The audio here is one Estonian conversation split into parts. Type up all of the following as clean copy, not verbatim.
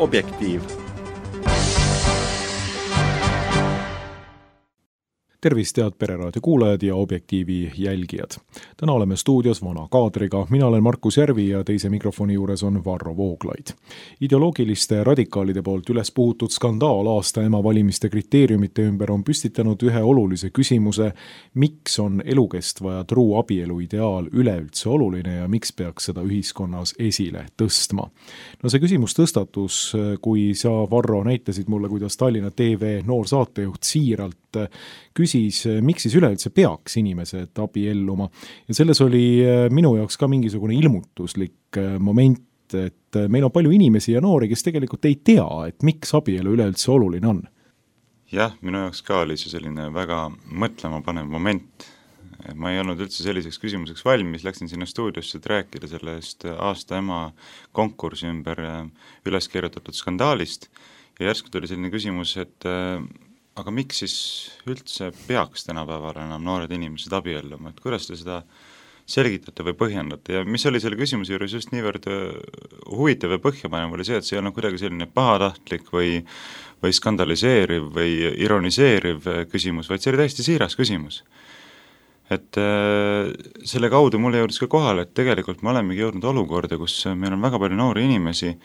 Objektiiv. Tervist, head Pereraadio kuulajad ja Objektiivi jälgijad. Täna oleme stuudios vana kaadriga. Mina olen Markus Järvi ja teise mikrofoni juures on Varro Vooglaid. Ideoloogiliste radikaalide poolt üles puhutud skandaal aasta ema valimiste kriteeriumite ümber on püstitanud ühe olulise küsimuse, miks on elukestva ja truu abielu ideaal üleüldse oluline ja miks peaks seda ühiskonnas esile tõstma. No see küsimus tõstatus, kui sa, Varro, näitasid mulle, kuidas Tallinna TV noor saatejuht siiralt küsis, miks siis üleüldse peaks inimesed abielluma. Ja selles oli minu jaoks ka mingisugune ilmutuslik moment, et meil on palju inimesi ja noori, kes tegelikult ei tea, et miks abielu üleüldse oluline on. Jah, minu jaoks ka oli see selline väga mõtlema panev moment. Ma ei olnud üldse selliseks küsimuseks valmis, läksin sinna stuudiosse, et rääkida sellest aasta ema konkursi ümber üles kirjutatud skandaalist ja järsku tuli selline küsimus, et aga miks siis üldse peaks tänapäeval enam noored inimesed abielluma, et kuidas te seda selgitate või põhjendate ja mis oli selle küsimuse juures just niivõrd huvitav ja põhjapanev oli see, et see ei olnud kuidagi selline pahatahtlik või skandaliseeriv või ironiseeriv küsimus, vaid see oli täiesti siiras küsimus. Et selle kaudu mulle jõudis ka kohale, et tegelikult me olemegi jõudnud olukorda, kus meil on väga palju noori inimesi,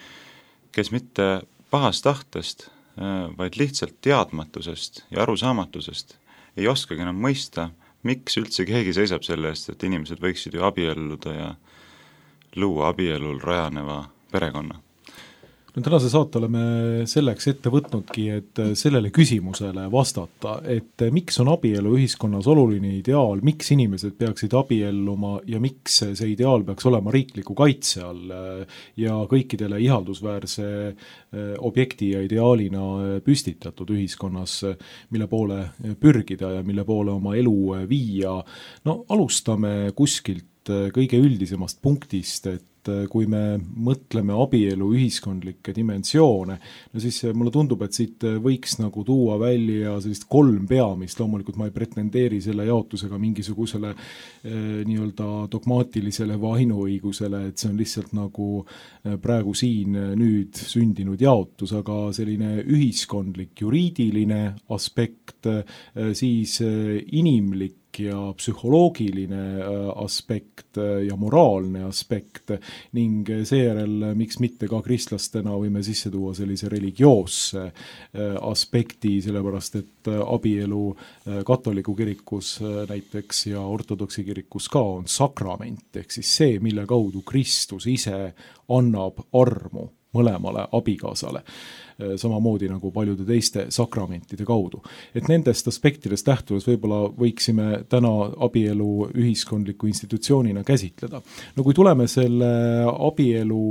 kes mitte pahast tahtest, vaid lihtsalt teadmatusest ja arusaamatusest ei oskagi enam mõista, miks üldse keegi seisab selle eest, et inimesed võiksid ju abielluda ja luua abielul rajaneva perekonna. No tänase saate oleme selleks ette võtnudki, et sellele küsimusele vastata, et miks on abielu ühiskonnas oluline ideaal, miks inimesed peaksid abielluma ja miks see ideaal peaks olema riikliku kaitse all ja kõikidele ihaldusväärse objekti ja ideaalina püstitatud ühiskonnas, mille poole pürgida ja mille poole oma elu viia. No alustame kuskilt kõige üldisemast punktist, et kui me mõtleme abielu ühiskondlikke dimensioone, no siis mulle tundub, et siit võiks nagu tuua välja sellist 3 peamist, loomulikult ma ei pretendeeri selle jaotusega mingisugusele nii-öelda dogmaatilisele või ainuõigusele, et see on lihtsalt nagu praegu siin nüüd sündinud jaotus, aga selline ühiskondlik juriidiline aspekt, siis inimlik ja psühholoogiline aspekt ja moraalne aspekt ning seejärel, miks mitte ka kristlastena võime sisse tuua sellise religioosse aspekti, sellepärast et abielu katoliku kirikus näiteks ja ortodoksi kirikus ka on sakrament, ehk siis see, mille kaudu Kristus ise annab armu mõlemale abikaasale, samamoodi nagu paljude teiste sakramentide kaudu. Et nendest aspektidest lähtudes võib-olla võiksime täna abielu ühiskondliku institutsioonina käsitleda. No kui tuleme selle abielu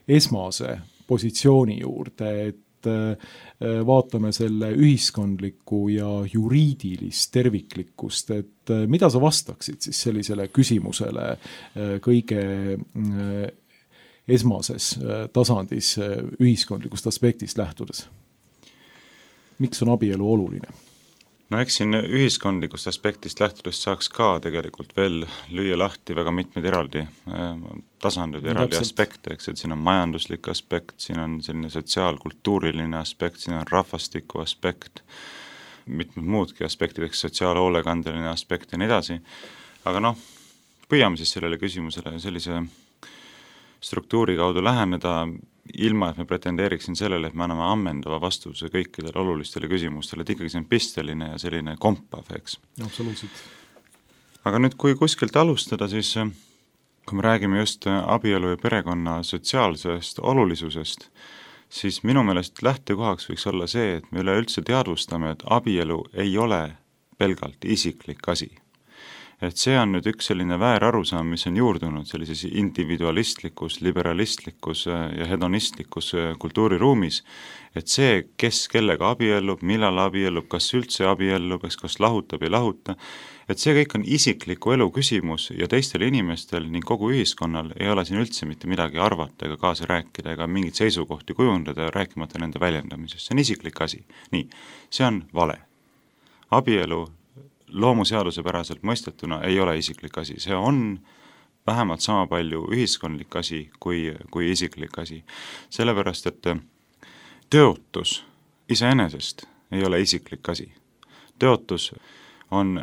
esmase positsiooni juurde, et vaatame selle ühiskondlikku ja juriidilist terviklikkust, et mida sa vastaksid siis sellisele küsimusele kõige esmases tasandis ühiskondlikust aspektist lähtudes? Miks on abielu oluline? No eks siin ühiskondlikust aspektist lähtudes saaks ka tegelikult veel lüüa lahti väga mitmeid eraldi tasandid, eraldi aspekte, eks, et siin on majanduslik aspekt, siin on selline sotsiaalkultuuriline aspekt, siin on rahvastiku aspekt, mitmed muudki aspektid, eks sotsiaalhoolekandeline aspekt ja nii edasi, aga püüame siis sellele küsimusele sellise struktuuri kaudu läheneda, ilma et me pretendeeriksin sellele, et me anname ammendava vastuse kõikidele olulistele küsimustele, et ikkagi see on pisteline ja selline kompav, eks. Absoluutselt. Aga nüüd, kui kuskilt alustada, siis kui me räägime just abielu ja perekonna sotsiaalsest olulisusest, siis minu meelest lähtekohaks võiks olla see, et me üleüldse teadvustame, et abielu ei ole pelgalt isiklik asi. Et see on nüüd üks selline väärarusaam, mis on juurdunud sellises individualistlikus, liberalistlikus ja hedonistlikus kultuuriruumis, et see, kes kellega abiellub, millal abiellub, kas üldse abiellub, kas lahutab ei lahuta, et see kõik on isikliku elu küsimus ja teistel inimestel ning kogu ühiskonnal ei ole siin üldse mitte midagi arvata ega kaasa rääkida ega mingit seisukohti kujundada, rääkimata nende väljendamisest. See on isiklik asi. Nii, see on vale. Abielu loomuseaduse päraselt mõistetuna ei ole isiklik asi. See on vähemalt sama palju ühiskondlik asi kui isiklik asi. Sellepärast, et tõotus iseenesest ei ole isiklik asi. Tõotus on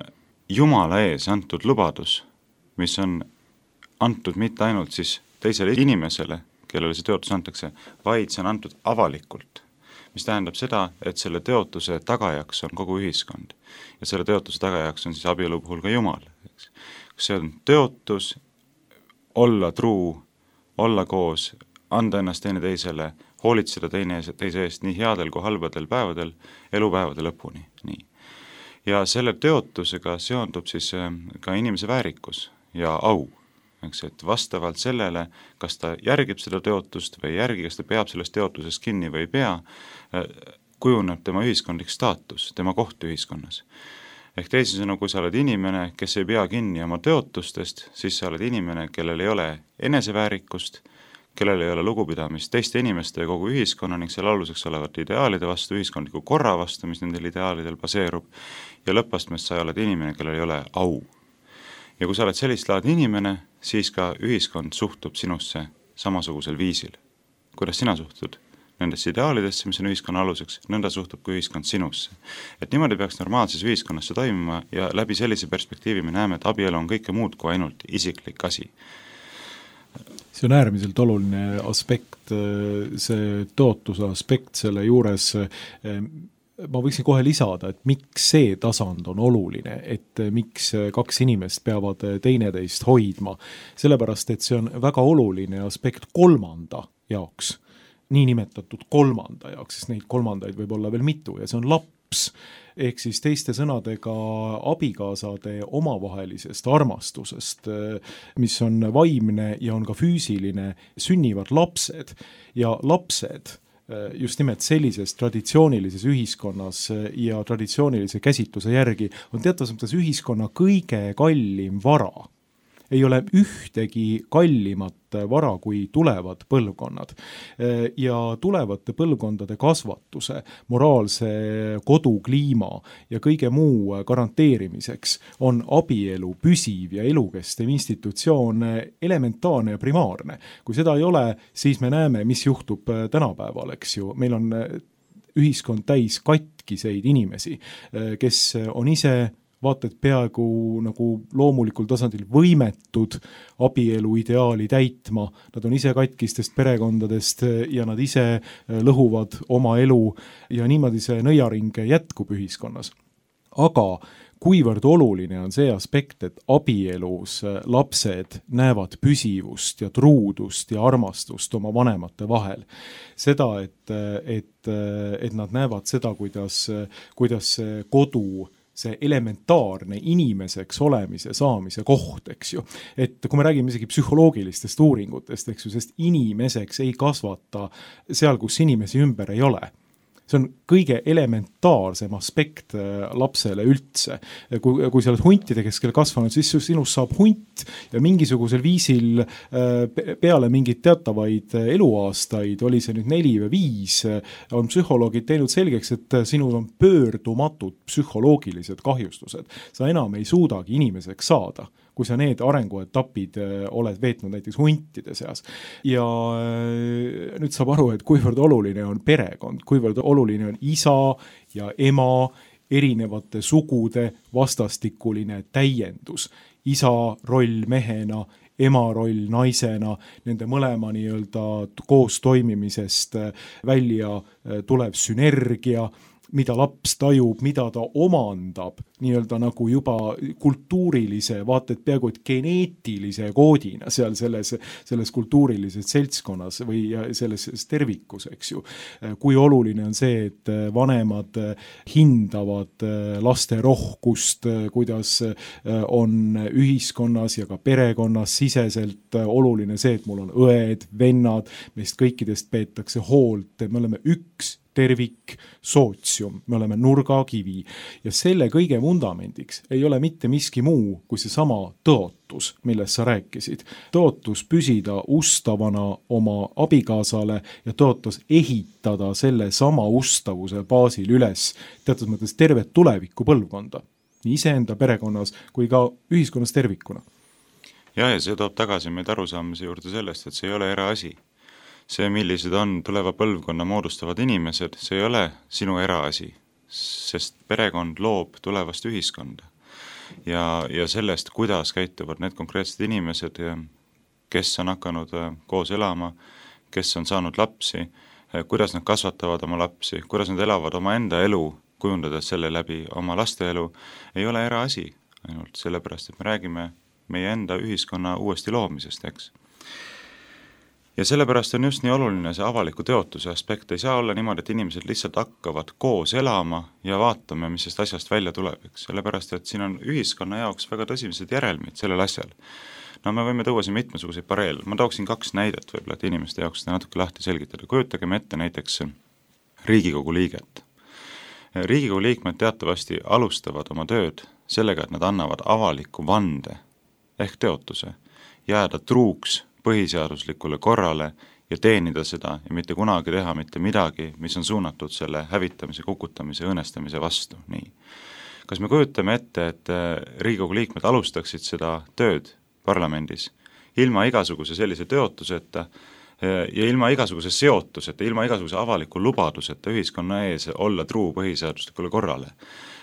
Jumala ees antud lubadus, mis on antud mitte ainult siis teisele inimesele, kellele see tõotus antakse, vaid see on antud avalikult. Mis tähendab seda, et selle tõotuse tagajaks on kogu ühiskond. Ja selle tõotuse tagajaks on siis abielu puhul ka Jumal. See on tõotus olla truu, olla koos, anda ennast teine teisele, hoolitseda teise eest nii headel kui halbadel päevadel, elupäevade lõpuni. Nii. Ja selle tõotusega seondub siis ka inimese väärikus ja au. Eks, et vastavalt sellele, kas ta järgib seda tõotust või ei järgi, kas ta peab sellest tõotusest kinni või ei pea, kujuneb tema ühiskondlik staatus, tema koht ühiskonnas. Ehk teisisõnu, kui sa oled inimene, kes ei pea kinni oma tõotustest, siis sa oled inimene, kellel ei ole eneseväärikust, kellel ei ole lugupidamist teiste inimeste ja kogu ühiskonna ning selle aluseks olevate ideaalide vastu, ühiskondliku korra vastu, mis nendel ideaalidel baseerub, ja lõppastmest sa oled inimene, kellel ei ole au. Ja kui sa oled sellist laadi inimene, siis ka ühiskond suhtub sinusse samasugusel viisil. Kuidas sina suhtud nendesse ideaalidesse, mis on ühiskonna aluseks, nõnda suhtub ka ühiskond sinusse. Et niimoodi peaks normaalses ühiskonnas see toimuma ja läbi sellise perspektiivi me näeme, et abielu on kõike muud kui ainult isiklik asi. See on äärmiselt oluline aspekt, see tõotuse aspekt selle juures. Ma võiksin kohe lisada, et miks see tasand on oluline, et miks kaks inimest peavad teineteist hoidma. Sellepärast, et see on väga oluline aspekt kolmanda jaoks, nii nimetatud kolmanda jaoks, sest neid kolmandaid võib olla veel mitu ja see on laps. Ehk siis teiste sõnadega abikaasade omavahelisest armastusest, mis on vaimne ja on ka füüsiline, sünnivad lapsed ja lapsed just nimelt sellises traditsioonilises ühiskonnas ja traditsioonilise käsitluse järgi on teatavas mõttes ühiskonna kõige kallim vara. Ei ole ühtegi kallimat vara kui tulevad põlvkonnad. Ja tulevate põlvkondade kasvatuse, moraalse kodukliima ja kõige muu garanteerimiseks on abielu püsiv ja elukestev institutsioon elementaarne ja primaarne. Kui seda ei ole, siis me näeme, mis juhtub tänapäeval, eks ju. Meil on ühiskond täis katkiseid inimesi, kes on ise vaata, et peaaegu nagu loomulikul tasandil võimetud abielu ideaali täitma. Nad on ise katkistest perekondadest ja nad ise lõhuvad oma elu ja niimoodi see nõiaring jätkub ühiskonnas. Aga kuivõrd oluline on see aspekt, et abielus lapsed näevad püsivust ja truudust ja armastust oma vanemate vahel. Seda, et nad näevad seda, kuidas kodu see elementaarne inimeseks olemise saamise koht, eks ju. Et kui me räägime isegi psühholoogilistest uuringutest, eks ju, sest inimeseks ei kasvata seal, kus inimesi ümber ei ole. See on kõige elementaarsem aspekt lapsele üldse. Kui sa oled huntide keskel kasvanud, siis sinust saab hunt ja mingisugusel viisil peale mingid teatavaid eluaastaid, oli see nüüd 4 või 5, on psühholoogid teinud selgeks, et sinul on pöördumatud psühholoogilised kahjustused. Sa enam ei suudagi inimeseks saada, kui sa need arenguetapid oled veetnud näiteks huntide seas. Ja nüüd saab aru, et kuivõrd oluline on perekond, kuivõrd oluline on isa ja ema erinevate sugude vastastikuline täiendus. Isa roll mehena, ema roll naisena, nende mõlema nii-öelda koos toimimisest välja tulev sünergia, mida laps tajub, mida ta omandab, nii-öelda nagu juba kultuurilise, vaata et peaaegu et geneetilise koodina seal selles kultuurilises seltskonnas või selles tervikus, eks ju. Kui oluline on see, et vanemad hindavad laste rohkust, kuidas on ühiskonnas ja ka perekonnas siseselt oluline see, et mul on õed, vennad, meist kõikidest peetakse hoolt, me oleme üks tervik, sootsium, me oleme nurgakivi ja selle kõige vundamendiks ei ole mitte miski muu kui see sama tõotus, millest sa rääkisid. Tõotus püsida ustavana oma abikaasale ja tõotus ehitada selle sama ustavuse baasil üles teatud mõttes tervet tuleviku põlvkonda, nii iseenda perekonnas kui ka ühiskonnas tervikuna. Ja see toob tagasi meid arusaamise juurde sellest, et see ei ole eraasi. see, millised on tuleva põlvkonna moodustavad inimesed, see ei ole sinu eraasi, sest perekond loob tulevast ühiskonda. Ja sellest, kuidas käituvad need konkreetsed inimesed, kes on hakanud koos elama, kes on saanud lapsi, kuidas nad kasvatavad oma lapsi, kuidas nad elavad oma enda elu, kujundades selle läbi oma laste elu, ei ole eraasi, ainult sellepärast, et me räägime meie enda ühiskonna uuesti loomisest, eks. Ja sellepärast on just nii oluline see avaliku teotuse aspekt, ei saa olla niimoodi, et inimesed lihtsalt hakkavad koos elama ja vaatame, mis sellest asjast välja tuleb, eks, sellepärast, et siin on ühiskonna jaoks väga tõsised järelmid sellel asjal. No me võime tuua siin mitmesuguseid pareele, ma tooksin 2 näidet võib-olla, et inimeste jaoks seda natuke lahti selgitada. Kujutagem ette näiteks Riigikogu liiget. Riigikogu liikmed teatavasti alustavad oma tööd sellega, et nad annavad avaliku vande ehk teotuse, jääda truuks põhiseaduslikule korrale ja teenida seda ja mitte kunagi teha mitte midagi, mis on suunatud selle hävitamise, kukutamise, õõnestamise vastu. Nii. Kas me kujutame ette, et Riigikogu liikmed alustaksid seda tööd parlamendis ilma igasuguse sellise teotuseta ja ilma igasuguse seotuseta, ilma igasuguse avaliku lubaduseta ühiskonna ees olla truu põhiseaduslikule korrale.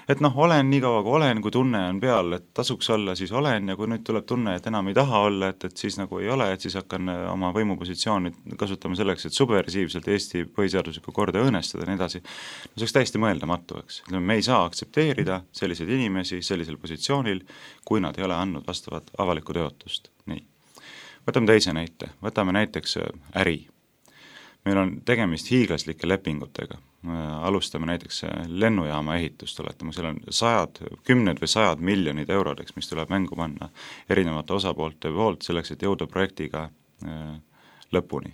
Et olen nii kaua, kui olen, kui tunne on peal, et tasuks olla, siis olen, ja kui nüüd tuleb tunne, et enam ei taha olla, et siis nagu ei ole, et siis hakkan oma võimupositsiooni kasutama selleks, et subversiivselt Eesti põhiseaduslikku korda õõnestada ja nii edasi. See oleks täiesti mõeldamatu, eks. Me ei saa aktsepteerida selliseid inimesi sellisel positsioonil, kui nad ei ole andnud vastavat avalikku teotust. Nii. Võtame teise näite, võtame näiteks äri. Meil on tegemist hiiglaslike lepingutega. Alustame näiteks lennujaama ehitust, oletame, seal on 10 või 100 miljonid eurodeks, mis tuleb mängu panna erinevate osapoolte poolt selleks, et jõuda projektiga lõpuni.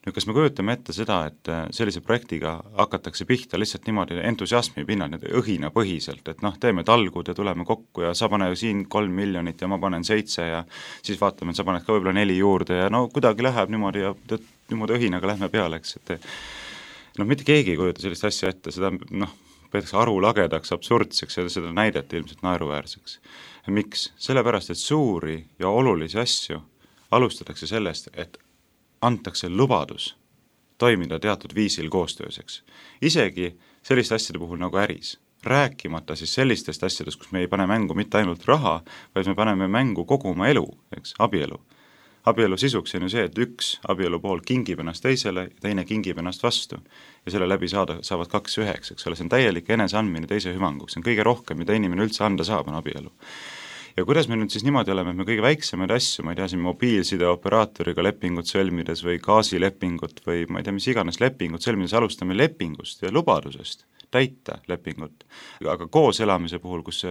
Nüüd, kas me kujutame ette seda, et sellise projektiga hakatakse pihta lihtsalt niimoodi entusiasmi pinnal, õhinapõhiselt, et teeme talgud ja tuleme kokku ja sa pane siin 3 miljonit ja ma panen 7 ja siis vaatame, et sa paned ka võib-olla 4 juurde ja kuidagi läheb niimoodi ja niimoodi õhinaga lähme peale, eks, et mitte keegi ei kujuta sellist asja ette, seda peetakse arulagedaks, absurdseks ja seda näideti ilmselt naeruväärseks. Miks? Sellepärast, et suuri ja olulisi asju alustatakse sellest, et antakse lubadus toimida teatud viisil koostööseks. Isegi selliste asjade puhul nagu äris. Rääkimata siis sellistest asjadest, kus me ei pane mängu mitte ainult raha, vaid me paneme mängu kogu oma elu, eks, abielu. Abielu sisuks on ju see, et üks abielu pool kingib ennast teisele ja teine kingib ennast vastu. Ja selle läbi saavad 2 üheks, eks ole, see on täielik eneseandmine teise hüvanguks. See on kõige rohkem, mida inimene üldse anda saab, on abielu. Ja kuidas me nüüd siis niimoodi oleme, et me kõige väiksemaid asju, ma ei tea, siin mobiilside operaatoriga lepingut sõlmides või gaasilepingut või ma ei tea, mis iganes lepingut sõlmides alustame lepingust ja lubadusest täita lepingut. Aga koos elamise puhul, kus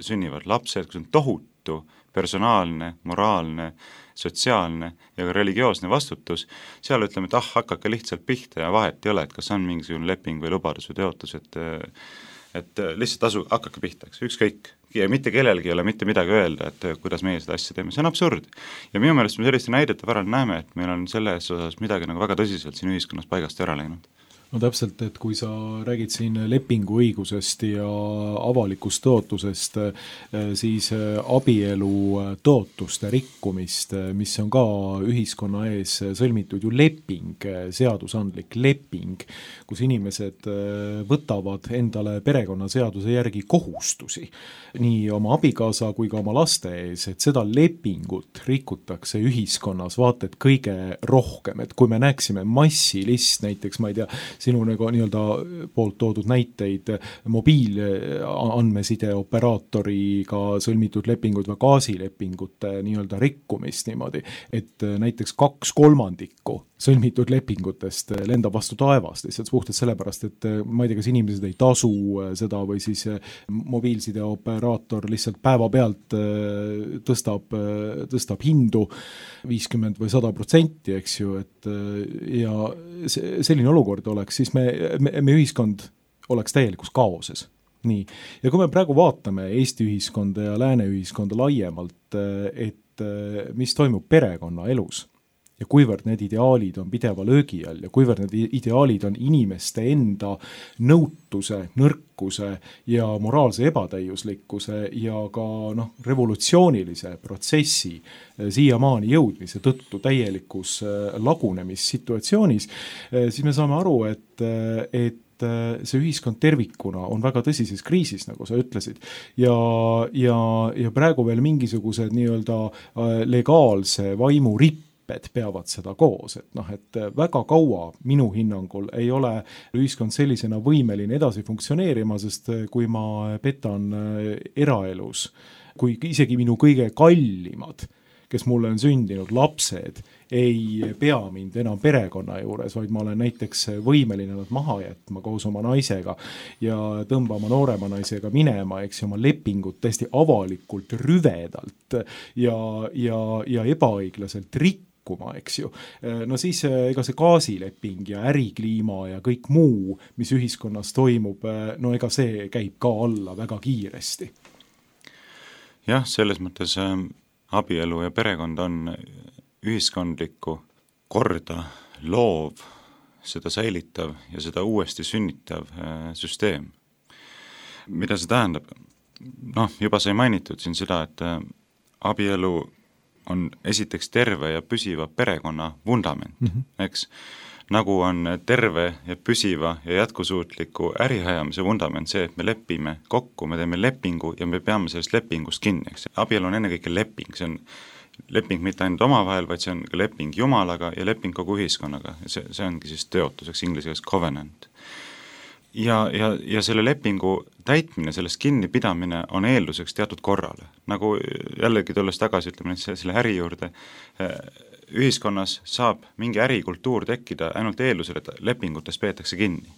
sünnivad lapsed, kus on tohutu personaalne, moraalne, sotsiaalne ja ka religioosne vastutus, seal ütleme, et hakake lihtsalt pihta ja vahet ei ole, et kas on mingisugune leping või lubadus või teotus, et lihtsalt hakake pihta, ükskõik. Ja mitte kellelgi ei ole mitte midagi öelda, et kuidas meie seda asja teeme, see on absurd. Ja minu meelest me selliste näidete varal näeme, et meil on selles osas midagi väga tõsiselt siin ühiskonnas paigast ära läinud. No täpselt, et kui sa räägid siin lepinguõigusest ja avalikust tõotusest, siis abielu tõotuste rikkumist, mis on ka ühiskonna ees sõlmitud ju leping, seadusandlik leping, kus inimesed võtavad endale perekonnaseaduse järgi kohustusi, nii oma abikaasa kui ka oma laste ees, et seda lepingut rikutakse ühiskonnas vaata et kõige rohkem, et kui me näeksime massilist, näiteks ma ei tea, sinu nii-öelda poolt toodud näiteid mobiilandmeside operaatoriga sõlmitud lepingud või gaasilepingute nii-öelda rikkumist niimoodi, et näiteks 2/3 sõlmitud lepingutest lendab vastu taevast, lihtsalt puhtalt sellepärast, et ma ei tea, kas inimesed ei tasu seda või siis mobiilside operaator lihtsalt päevapealt tõstab hindu 50 või 100%, eks ju, et ja selline olukord oleks, siis me ühiskond oleks täielikus kaoses. Nii. Ja kui me praegu vaatame Eesti ühiskonda ja lääne ühiskonda laiemalt, et mis toimub perekonna elus ja kuivõrd need ideaalid on pideva löögi all ja kuivõrd need ideaalid on inimeste enda nõutuse, nõrkuse ja moraalse ebatäiuslikkuse ja ka revolutsioonilise protsessi siiamaani jõudmise tõttu täielikus lagunemissituatsioonis, siis me saame aru, et see ühiskond tervikuna on väga tõsises kriisis, nagu sa ütlesid, ja praegu veel mingisugused nii-öelda legaalse vaimu ripped peavad seda koos, et väga kaua minu hinnangul ei ole ühiskond sellisena võimeline edasi funktsioneerima, sest kui ma petan eraelus, kui isegi minu kõige kallimad, kes mulle on sündinud lapsed, ei pea mind enam perekonna juures, vaid ma olen näiteks võimeline nad maha jätma koos oma naisega ja tõmbama noorema naisega minema, eks oma lepingut täiesti avalikult rüvedalt ja ebaõiglaselt rikkuma, eks ju. No siis ega see gaasileping ja ärikliima ja kõik muu, mis ühiskonnas toimub, no ega see käib ka alla väga kiiresti. Jah, selles mõttes abielu ja perekond on ühiskondlikku korda loov, seda säilitav ja seda uuesti sünnitav süsteem. Mida see tähendab? Juba sai mainitud siin seda, et abielu on esiteks terve ja püsiva perekonna vundament, eks? Nagu on terve ja püsiva ja jätkusuutliku ärihajamise vundament see, et me lepime kokku, me teeme lepingu ja me peame sellest lepingust kinni, eks? Abielu on ennekõike leping, see on leping mitte ainult omavahel, vaid see on ka leping Jumalaga ja leping kogu ühiskonnaga. See ongi siis tõotuseks inglise keeles covenant. Ja selle lepingu täitmine, sellest kinnipidamine on eelduseks teatud korrale. Nagu jällegi tulles tagasi, ütleme selle äri juurde, ühiskonnas saab mingi ärikultuur tekkida ainult eeldusel, et lepingutest peetakse kinni.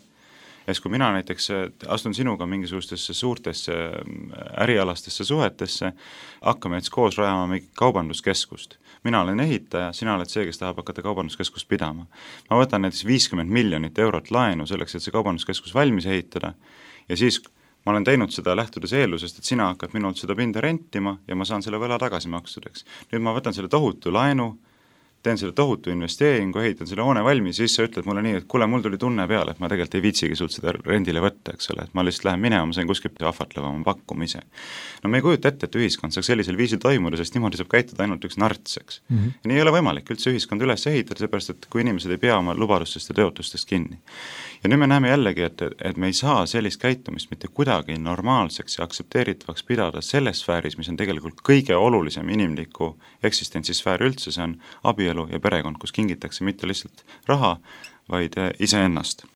Ja kui mina näiteks astun sinuga mingisugustesse suurtesse ärialastesse suhetesse, hakkame jetzt koos rajama mingi kaubanduskeskust. Mina olen ehitaja, sina oled see, kes tahab hakata kaubanduskeskust pidama. Ma võtan näiteks 50 miljonit eurot laenu selleks, et see kaubanduskeskus valmis ehitada ja siis ma olen teinud seda lähtudes eeldusest, et sina hakkad minult seda pinda rentima ja ma saan selle võla tagasi maksudeks. Nüüd ma võtan selle tohutu laenu, teen selle tohutu investeeringu, ehitan selle hoone valmis, siis sa ütled mulle nii, et kuule, mul tuli tunne peale, et ma tegelikult ei viitsigi sult seda rendile võtta, eks ole, et ma lihtsalt lähen minema, ma sain kuskilt ahvatleva oma pakkumise. No me ei kujuta ette, et ühiskond saaks sellisel viisil toimuda, sest niimoodi saab käituda ainult üks narts, eks. Ja nii ei ole võimalik üldse ühiskond üles ehitada, seepärast, et kui inimesed ei pea oma lubadustest ja tõotustest kinni. Ja nüüd me näeme jällegi, et me ei saa sellist käitumist mitte kuidagi normaalseks ja aktsepteeritavaks pidada selles sfääris, mis on tegelikult kõige olulisem inimliku eksistentsisfäär üldse, see on abielu ja perekond, kus kingitakse mitte lihtsalt raha, vaid iseennast.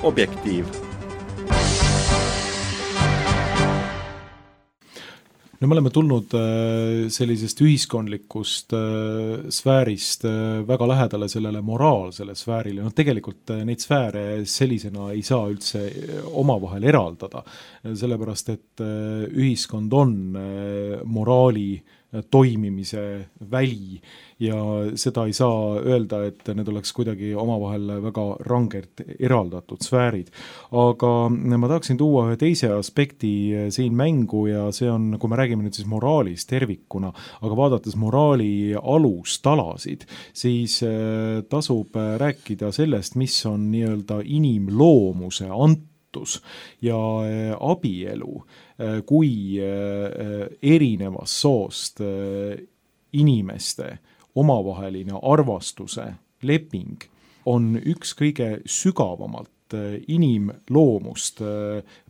Objektiiv. no me oleme tulnud sellisest ühiskondlikust sfäärist väga lähedale sellele moraalsele sfäärile. No tegelikult neid sfääre sellisena ei saa üldse omavahel eraldada, sellepärast et ühiskond on moraali toimimise väli ja seda ei saa öelda, et need oleks kuidagi omavahel väga rangelt eraldatud sfäärid. Aga ma tahaksin tuua ühe teise aspekti siin mängu ja see on, kui me räägime nüüd siis moraalist tervikuna, aga vaadates moraali alustalasid, siis tasub rääkida sellest, mis on nii-öelda inimloomuse antus ja abielu kui erinevast soost inimeste omavaheline arvastuse leping on üks kõige sügavamalt inimloomust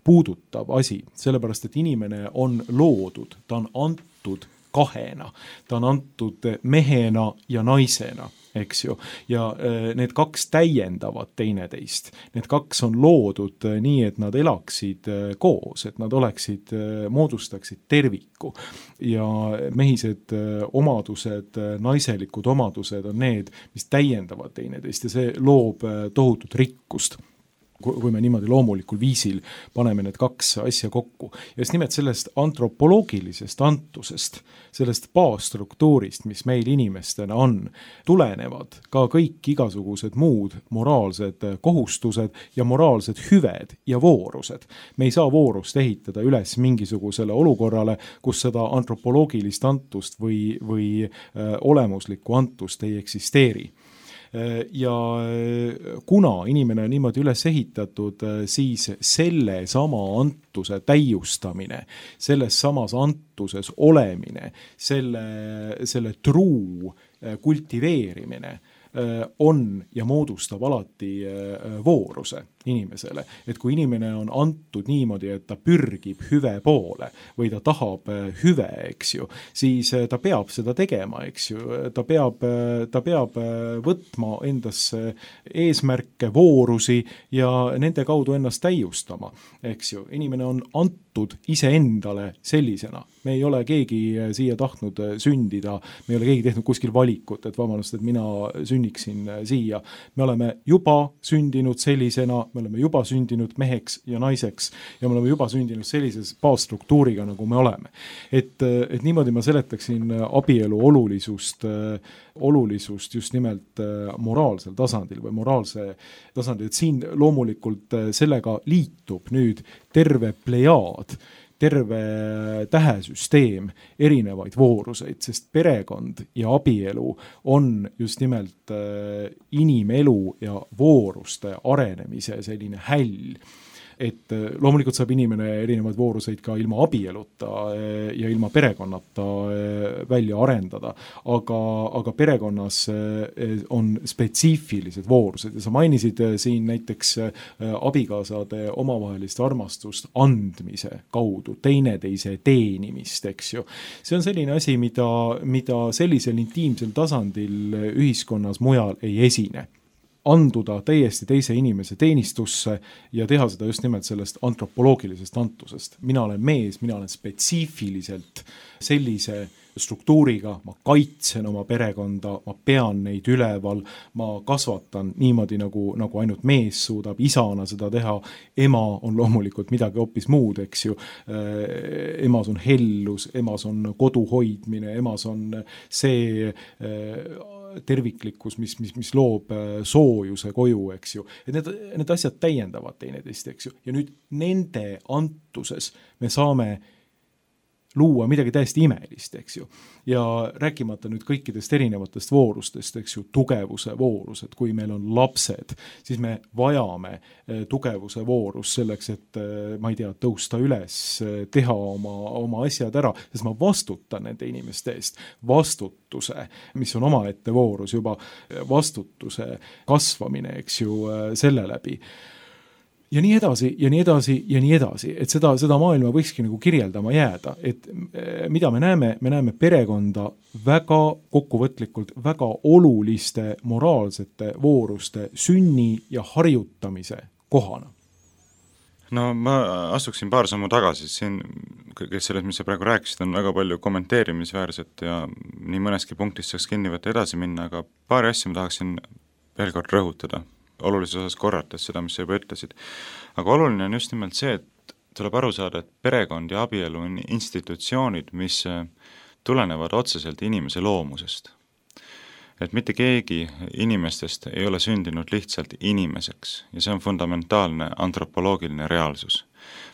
puudutav asi, sellepärast et inimene on loodud, ta on antud kahena, ta on antud mehena ja naisena, eks ju, ja need kaks täiendavad teineteist. Need kaks on loodud nii, et nad elaksid koos, et nad oleksid, moodustaksid terviku ja mehised omadused, naiselikud omadused on need, mis täiendavad teineteist ja see loob tohutut rikkust, kui me niimoodi loomulikul viisil paneme need kaks asja kokku. Ja just nimelt sellest antropoloogilisest antusest, sellest baasstruktuurist, mis meil inimestena on, tulenevad ka kõik igasugused muud moraalsed kohustused ja moraalsed hüved ja voorused. Me ei saa voorust ehitada üles mingisugusele olukorrale, kus seda antropoloogilist antust või olemuslikku antust ei eksisteeri. Ja kuna inimene on niimoodi üles ehitatud, siis selle sama antuse täiustamine, selles samas antuses olemine, selle truu kultiveerimine on ja moodustab alati vooruse inimesele. Et kui inimene on antud niimoodi, et ta pürgib hüve poole või ta tahab hüve, eks ju, siis ta peab seda tegema, eks ju. Ta peab võtma endasse eesmärke, voorusi ja nende kaudu ennast täiustama, eks ju. Inimene on antud iseendale sellisena. Me ei ole keegi siia tahtnud sündida, me ei ole keegi tehnud kuskil valikut, et vabandust, et mina sünniksin siia. Me oleme juba sündinud sellisena, me oleme juba sündinud meheks ja naiseks ja me oleme juba sündinud sellises baasstruktuuriga, nagu me oleme. Et niimoodi ma seletaksin abielu olulisust just nimelt moraalsel tasandil või moraalse tasandil, et siin loomulikult sellega liitub nüüd terve plejaad, terve tähesüsteem erinevaid vooruseid, sest perekond ja abielu on just nimelt inimelu ja vooruste arenemise selline häll. Et loomulikult saab inimene erinevaid vooruseid ka ilma abieluta ja ilma perekonnata välja arendada, aga perekonnas on spetsiifilised voorused ja sa mainisid siin näiteks abikaasade omavahelist armastust andmise kaudu, teineteise teenimist, eks ju. See on selline asi, mida sellisel intiimsel tasandil ühiskonnas mujal ei esine. Anduda täiesti teise inimese teenistusse ja teha seda just nimelt sellest antropoloogilisest antusest. Mina olen mees, mina olen spetsiifiliselt sellise struktuuriga, ma kaitsen oma perekonda, ma pean neid üleval, ma kasvatan niimoodi, nagu ainult mees suudab isana seda teha. Ema on loomulikult midagi hoopis muud, eks ju. Emas on hellus, emas on kodu hoidmine, emas on see terviklikkus, mis loob soojuse koju, eks ju. Et need asjad täiendavad teineteist, eks ju. Ja nüüd nende antuses me saame luua midagi täiesti imelist, eks ju. Ja rääkimata nüüd kõikidest erinevatest voorustest, eks ju, tugevuse voorus, et kui meil on lapsed, siis me vajame tugevuse voorus selleks, et ma ei tea, tõusta üles, teha oma asjad ära, sest ma vastutan nende inimeste eest. Vastutuse, mis on omaette voorus juba, vastutuse kasvamine, eks ju, selle läbi. Ja nii edasi, ja nii edasi, ja nii edasi, et seda maailma võikski nagu kirjeldama jääda, et mida me näeme perekonda väga kokkuvõtlikult, väga oluliste moraalsete vooruste sünni ja harjutamise kohana? No ma astuksin paar sammu tagasi, siin kes sellest, mis sa praegu rääkisid, on väga palju kommenteerimisväärset ja nii mõneski punktis saaks kinni võtta edasi minna, aga paari asja ma tahaksin veel kord rõhutada, olulises osas korrates seda, mis sa juba ütlesid. Aga oluline on just nimelt see, et tuleb aru saada, et perekond ja abielu on institutsioonid, mis tulenevad otseselt inimese loomusest. Et mitte keegi inimestest ei ole sündinud lihtsalt inimeseks ja see on fundamentaalne antropoloogiline reaalsus.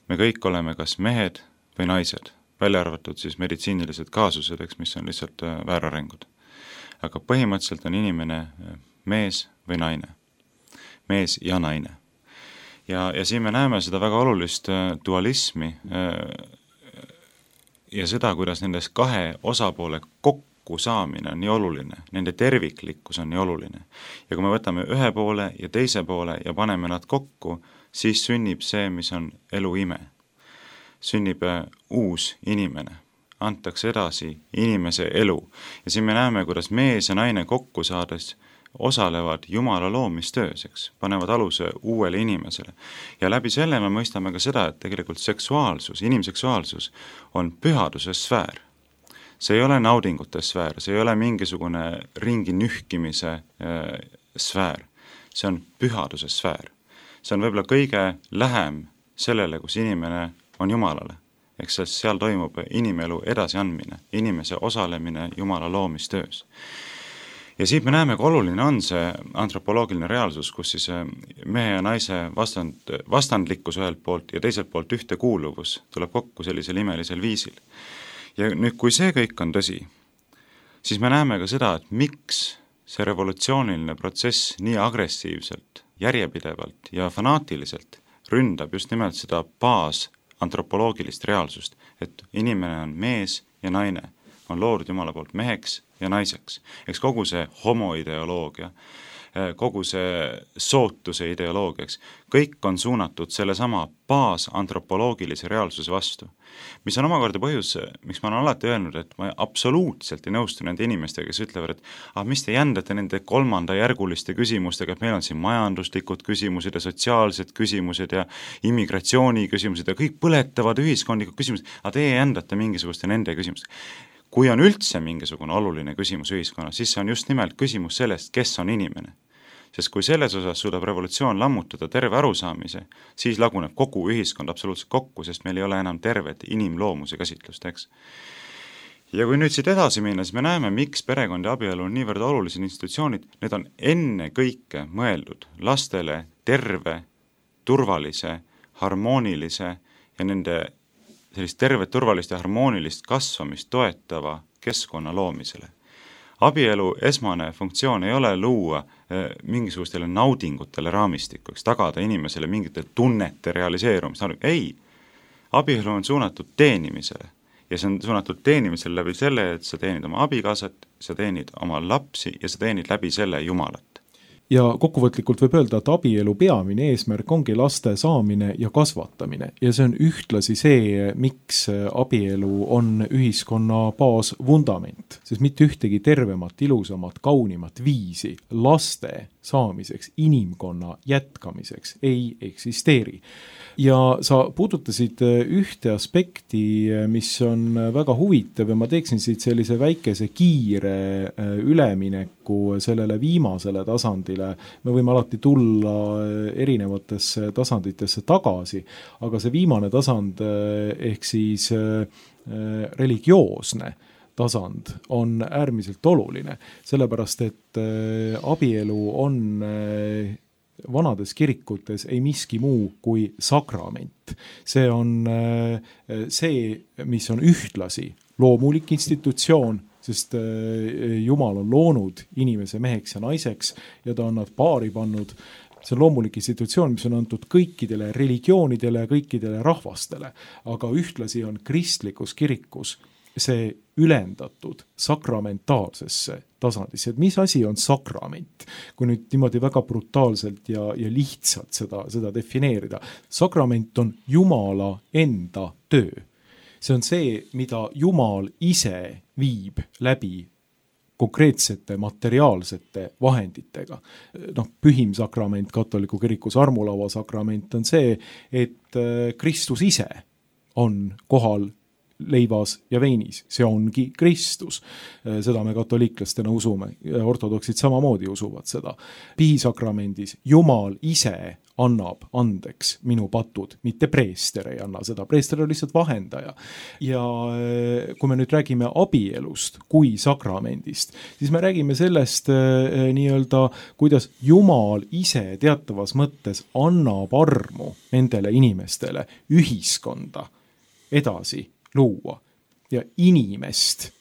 Me kõik oleme kas mehed või naised, välja arvatud siis meditsiinilised kaasused, mis on lihtsalt väärarengud. Aga põhimõtteliselt on inimene mees või naine, mees ja naine. Ja siin me näeme seda väga olulist dualismi ja seda, kuidas nendes kahe osapoole kokku saamine on nii oluline, nende terviklikkus on nii oluline. Ja kui me võtame ühe poole ja teise poole ja paneme nad kokku, siis sünnib see, mis on elu ime. Sünnib uus inimene, antakse edasi inimese elu. Ja siin me näeme, kuidas mees ja naine kokku saades osalevad Jumala loomistöös, panevad aluse uuele inimesele. Ja läbi selle me mõistame ka seda, et tegelikult seksuaalsus, inimseksuaalsus on pühaduse sfäär. See ei ole naudingute sfäär, see ei ole mingisugune ringi nühkimise sfäär. See on pühaduse sfäär. See on võib-olla kõige lähem sellele, kus inimene on Jumalale. Eks seal toimub inimelu edasiandmine, inimese osalemine Jumala loomistöös. Ja siit me näeme, kui oluline on see antropoloogiline reaalsus, kus siis mehe ja naise vastandlikkus ühelt poolt ja teiselt poolt ühtekuuluvus tuleb kokku sellisel imelisel viisil. Ja nüüd, kui see kõik on tõsi, siis me näeme ka seda, et miks see revolutsiooniline protsess nii agressiivselt, järjepidevalt ja fanaatiliselt ründab just nimelt seda baasantropoloogilist reaalsust, et inimene on mees ja naine, on loodud Jumala poolt meheks ja naiseks. Eks kogu see homoideoloogia, kogu see sootuse ideoloogiaks, kõik on suunatud selle sama baasantropoloogilise reaalsuse vastu. Mis on omakorda põhjus, miks ma olen alati öelnud, et ma absoluutselt ei nõustu nende inimestega, kes ütlevad, et mis te jändate nende kolmandajärguliste küsimustega, et meil on siin majanduslikud küsimused ja sotsiaalsed küsimused ja immigratsiooni küsimused ja kõik põletavad ühiskondlikud küsimused, aga teie jändate mingisuguste nende küsimustega. Kui on üldse mingisugune oluline küsimus ühiskonnas, siis see on just nimelt küsimus sellest, kes on inimene. Sest kui selles osas suudab revolutsioon lammutada terve arusaamise, siis laguneb kogu ühiskond absoluutselt kokku, sest meil ei ole enam tervet inimloomuse käsitlust, eks. Ja kui nüüd siit edasi minna, siis me näeme, miks perekond ja abielu on niivõrd olulised institutsioonid, need on enne kõike mõeldud lastele terve, turvalise, harmoonilise ja nende sellist tervet, turvalist ja harmoonilist kasvamist toetava keskkonna loomisele. Abielu esmane funktsioon ei ole luua mingisugustele naudingutele raamistikuks, tagada inimesele mingite tunnete realiseerumist. Ei, abielu on suunatud teenimisele ja see on suunatud teenimisele läbi selle, et sa teenid oma abikaasat, sa teenid oma lapsi ja sa teenid läbi selle Jumalat. Ja kokkuvõtlikult võib öelda, et abielu peamine eesmärk ongi laste saamine ja kasvatamine ja see on ühtlasi see, miks abielu on ühiskonna baasvundament, sest mitte ühtegi tervemat, ilusamat, kaunimat viisi laste saamiseks, inimkonna jätkamiseks ei eksisteeri. Ja sa puudutasid ühte aspekti, mis on väga huvitav ja ma teeksin siit sellise väikese kiire ülemineku sellele viimasele tasandile. Me võime alati tulla erinevatesse tasanditesse tagasi, aga see viimane tasand ehk siis religioosne tasand on äärmiselt oluline, sellepärast et abielu on vanades kirikutes ei miski muu kui sakrament. See on see, mis on ühtlasi loomulik institutsioon, sest Jumal on loonud inimese meheks ja naiseks ja ta on nad paari pannud. See on loomulik institutsioon, mis on antud kõikidele religioonidele ja kõikidele rahvastele, aga ühtlasi on kristlikus kirikus see ülendatud sakramentaalsesse tasandisse. Et mis asi on sakrament? Kui nüüd niimoodi väga brutaalselt ja lihtsalt seda defineerida. Sakrament on Jumala enda töö. See on see, mida Jumal ise viib läbi konkreetsete materiaalsete vahenditega. Pühim sakrament katoliku kirikus, armulaua sakrament on see, et Kristus ise on kohal leivas ja veinis, see ongi Kristus. Seda me katoliiklastena usume, ortodoksid samamoodi usuvad seda. Pihisakramendis Jumal ise annab andeks minu patud, mitte preester ei anna seda, preester on lihtsalt vahendaja. Ja kui me nüüd räägime abielust kui sakramendist, siis me räägime sellest nii-öelda, kuidas Jumal ise teatavas mõttes annab armu nendele inimestele ühiskonda edasi luua ja inimest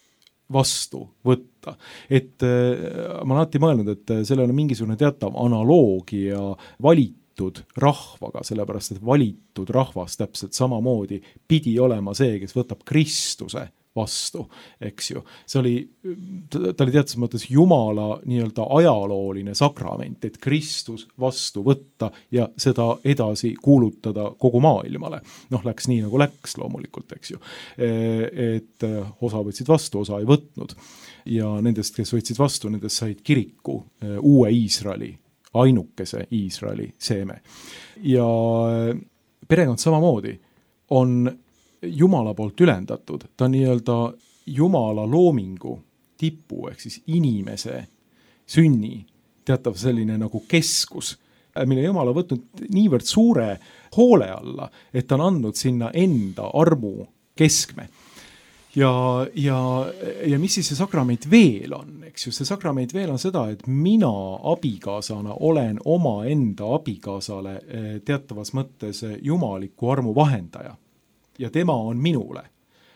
vastu võtta. Et ma olen alati mõelnud, et sellel on mingisugune teatav analoogia valitud rahvaga, sellepärast et valitud rahvas täpselt samamoodi pidi olema see, kes võtab Kristuse vastu, eks ju. Ta oli teatud mõttes Jumala nii-öelda ajalooline sakrament, et Kristus vastu võtta ja seda edasi kuulutada kogu maailmale. Läks nii nagu läks loomulikult, eks ju. Et osa võtsid vastu, osa ei võtnud. Ja nendest, kes võtsid vastu, nendest said kiriku uue Iisraeli, ainukese Iisraeli seeme. Ja perekond samamoodi on Jumala poolt ülendatud, ta on nii-öelda Jumala loomingu tipu, ehk siis inimese sünni teatav selline nagu keskus, mille Jumal on võtnud niivõrd suure hoole alla, et ta on andnud sinna enda armu keskme. Ja mis siis see sakrament veel on, eks ju, see sakrament veel on seda, et mina abikaasana olen oma enda abikaasale teatavas mõttes jumaliku armu vahendaja. Ja tema on minule.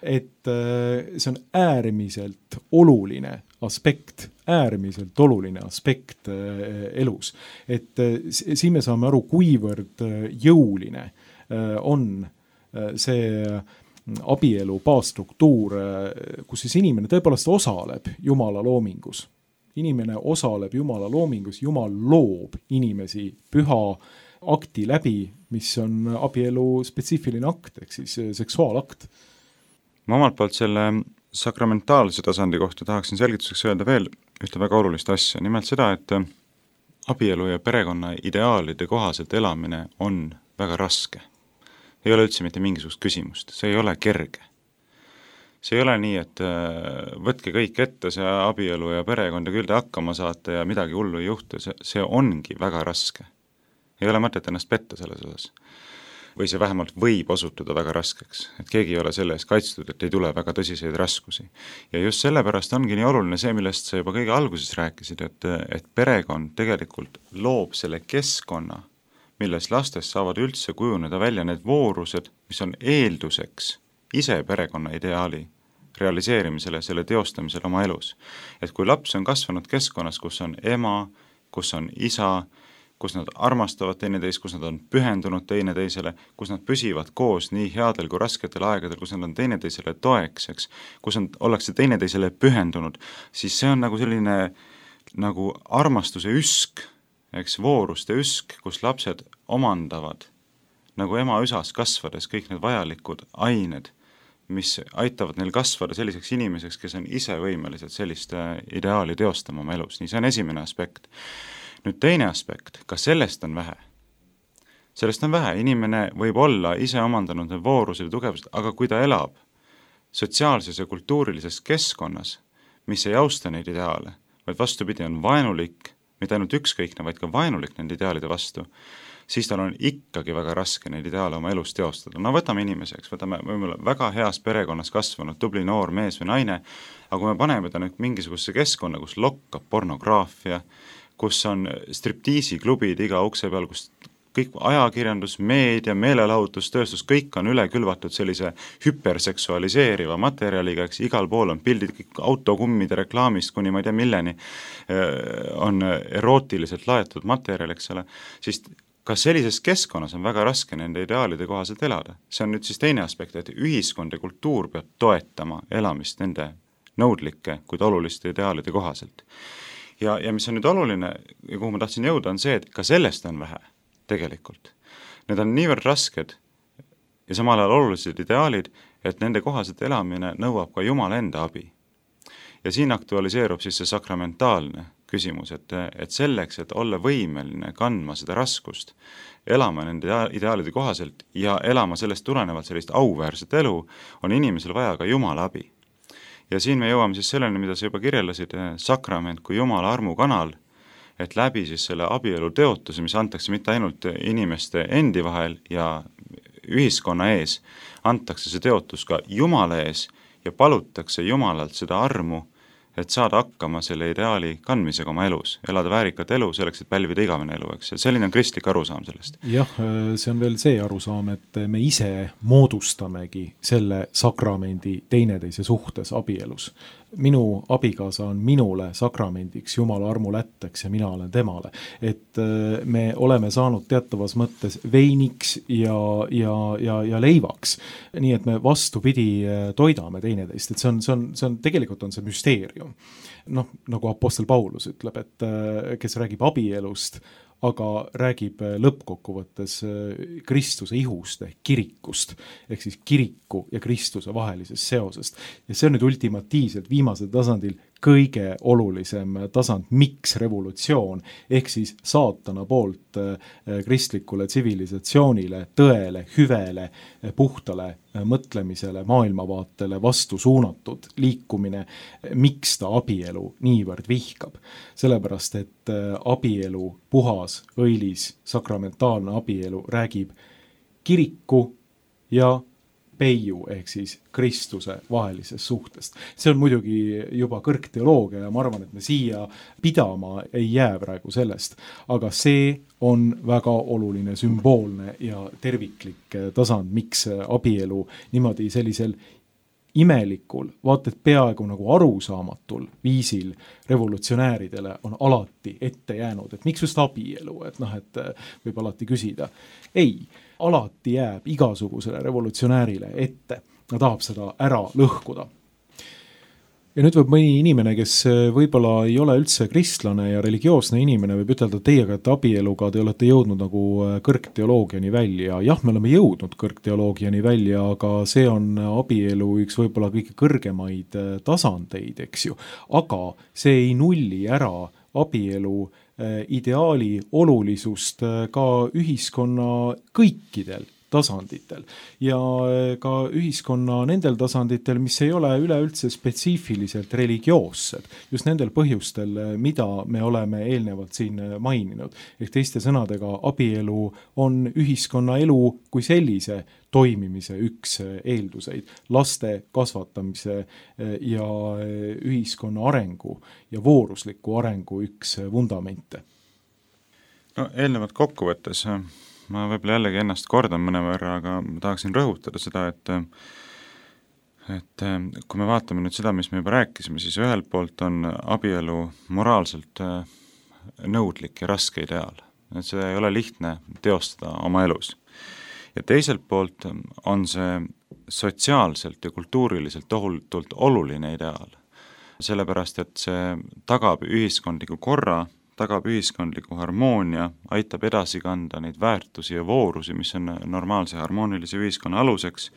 Et see on äärmiselt oluline aspekt elus. Et siin me saame aru, kuivõrd jõuline on see abielu baasstruktuur, kus siis inimene tõepoolest osaleb Jumala loomingus. Inimene osaleb Jumala loomingus, Jumal loob inimesi püha akti läbi, mis on abielu spetsiifiline akt, ehk siis seksuaalakt. Ma omalt poolt selle sakramentaalse tasandi kohta tahaksin selgituseks öelda veel ühte väga olulist asja, nimelt seda, et abielu ja perekonna ideaalide kohaselt elamine on väga raske. Ei ole üldse mitte mingisugust küsimust, see ei ole kerge. See ei ole nii, et võtke kõik ette, see abielu ja perekond ja küll te hakkama saate ja midagi hullu ei juhtu, see ongi väga raske. Ei ole mõtet ennast petta selles osas. Või see vähemalt võib osutuda väga raskeks, et keegi ei ole selle eest kaitstud, et ei tule väga tõsiseid raskusi. Ja just sellepärast ongi nii oluline see, millest sa juba kõige alguses rääkisid, et perekond tegelikult loob selle keskkonna, milles lastest saavad üldse kujuneda välja need voorused, mis on eelduseks ise perekonna ideaali realiseerimisele, selle teostamisele oma elus. Et kui laps on kasvanud keskkonnas, kus on ema, kus on isa, kus nad armastavad teineteist, kus nad on pühendunud teineteisele, kus nad püsivad koos nii headel kui rasketel aegadel, kus nad on teineteisele toekseks, kus ollakse teineteisele pühendunud, siis see on nagu selline nagu armastuse üsk, eks vooruste üsk, kus lapsed omandavad nagu ema üsas kasvades kõik need vajalikud ained, mis aitavad neil kasvada selliseks inimeseks, kes on ise võimelised sellist ideaali teostama oma elus. Nii see on esimene aspekt. Nüüd teine aspekt, ka sellest on vähe. Sellest on vähe, inimene võib olla ise omandanud need voorused ja tugevused, aga kui ta elab sotsiaalses ja kultuurilises keskkonnas, mis ei austa neid ideaale, vaid vastupidi on vaenulik, mitte ainult ükskõikne, vaid ka vaenulik nende ideaalide vastu, siis tal on ikkagi väga raske neid ideaale oma elus teostada. No võtame inimeseks, võtame väga heas perekonnas kasvanud tubli noor mees või naine, aga kui me paneme ta nüüd mingisugusesse keskkonna, kus lokkab pornograafia, kus on striptiisiklubid iga ukse peal, kus kõik ajakirjandus, meedia, meelelahutustööstus, kõik on üle külvatud sellise hüperseksualiseeriva materjaliga, eks igal pool on pildid, kõik autokummide reklaamist kuni ma ei tea milleni on erootiliselt laetud materjal, eks ole, siis ka sellises keskkonnas on väga raske nende ideaalide kohaselt elada. See on nüüd siis teine aspekt, et ühiskond ja kultuur peab toetama elamist nende nõudlike, kuid oluliste ideaalide kohaselt. Ja mis on nüüd oluline ja kuhu ma tahtsin jõuda, on see, et ka sellest on vähe tegelikult. Need on niivõrd rasked ja samal ajal olulised ideaalid, et nende kohaselt elamine nõuab ka Jumala enda abi. Ja siin aktualiseerub siis see sakramentaalne küsimus, et selleks, et olla võimeline kandma seda raskust, elama nende ideaalide kohaselt ja elama sellest tulenevalt sellist auväärset elu, on inimesel vaja ka Jumala abi. Ja siin me jõuame siis selleni, mida sa juba kirjeldasid, sakrament kui Jumala armukanal, et läbi siis selle abielu teotuse, mis antakse mitte ainult inimeste endi vahel ja ühiskonna ees, antakse see teotus ka Jumala ees ja palutakse Jumalalt seda armu, et saada hakkama selle ideaali kandmisega oma elus, elada väärikat elu selleks, et pälvida igavene elu, eks. Selline on kristlik arusaam sellest. Jah, see on veel see arusaam, et me ise moodustamegi selle sakramendi teineteise suhtes abielus. Minu abikaasa on minule sakramendiks, Jumala armulätteks ja mina olen temale. Et me oleme saanud teatavas mõttes veiniks ja leivaks. Nii et me vastupidi toidame teineteist, et see on tegelikult on see müsteerium. Noh, nagu apostel Paulus ütleb, et kes räägib abielust, aga räägib lõppkokkuvõttes Kristuse ihust ehk kirikust, ehk siis kiriku ja Kristuse vahelisest seosest. Ja see on nüüd ultimatiivselt viimasel tasandil kõige olulisem tasand, miks revolutsioon, ehk siis saatana poolt kristlikule tsivilisatsioonile, tõele, hüvele, puhtale mõtlemisele, maailmavaatele vastu suunatud liikumine, miks ta abielu niivõrd vihkab. Sellepärast, et abielu, puhas, õilis, sakramentaalne abielu räägib kiriku ja peiu ehk siis Kristuse vahelisest suhtest. See on muidugi juba kõrgteoloogia ja ma arvan, et me siia pidama ei jää praegu sellest, aga see on väga oluline sümboolne ja terviklik tasand, miks abielu niimoodi sellisel imelikul, vaata et peaaegu nagu arusaamatul viisil revolutsionääridele on alati ette jäänud, et miks just abielu, et et võib alati küsida. Ei, alati jääb igasugusele revolutsionäärile ette. Ta tahab seda ära lõhkuda. Ja nüüd võib mõni inimene, kes võib-olla ei ole üldse kristlane ja religioosne inimene, võib ütelda teiega, et abieluga te olete jõudnud nagu kõrgteoloogiani välja. Jah, me oleme jõudnud kõrgteoloogiani välja, aga see on abielu üks võib-olla kõige kõrgemaid tasandeid, eks ju. Aga see ei nulli ära abielu ideaali olulisust ka ühiskonna kõikidel tasanditel ja ka ühiskonna nendel tasanditel, mis ei ole üleüldse spetsiifiliselt religioossed, just nendel põhjustel, mida me oleme eelnevalt siin maininud. Ehk teiste sõnadega, abielu on ühiskonna elu kui sellise toimimise üks eelduseid, laste kasvatamise ja ühiskonna arengu ja voorusliku arengu üks vundamente. No eelnevalt kokkuvõttes ma võib-olla jällegi ennast kordan mõne võrra, aga ma tahaksin rõhutada seda, et kui me vaatame nüüd seda, mis me juba rääkisime, siis ühelt poolt on abielu moraalselt nõudlik ja raske ideaal. Et seda ei ole lihtne teostada oma elus. Ja teiselt poolt on see sotsiaalselt ja kultuuriliselt tohutult oluline ideaal. Sellepärast, et see tagab ühiskondliku korra, tagab ühiskondliku harmoonia, aitab edasi kanda neid väärtusi ja voorusi, mis on normaalse harmoonilise ühiskonna aluseks.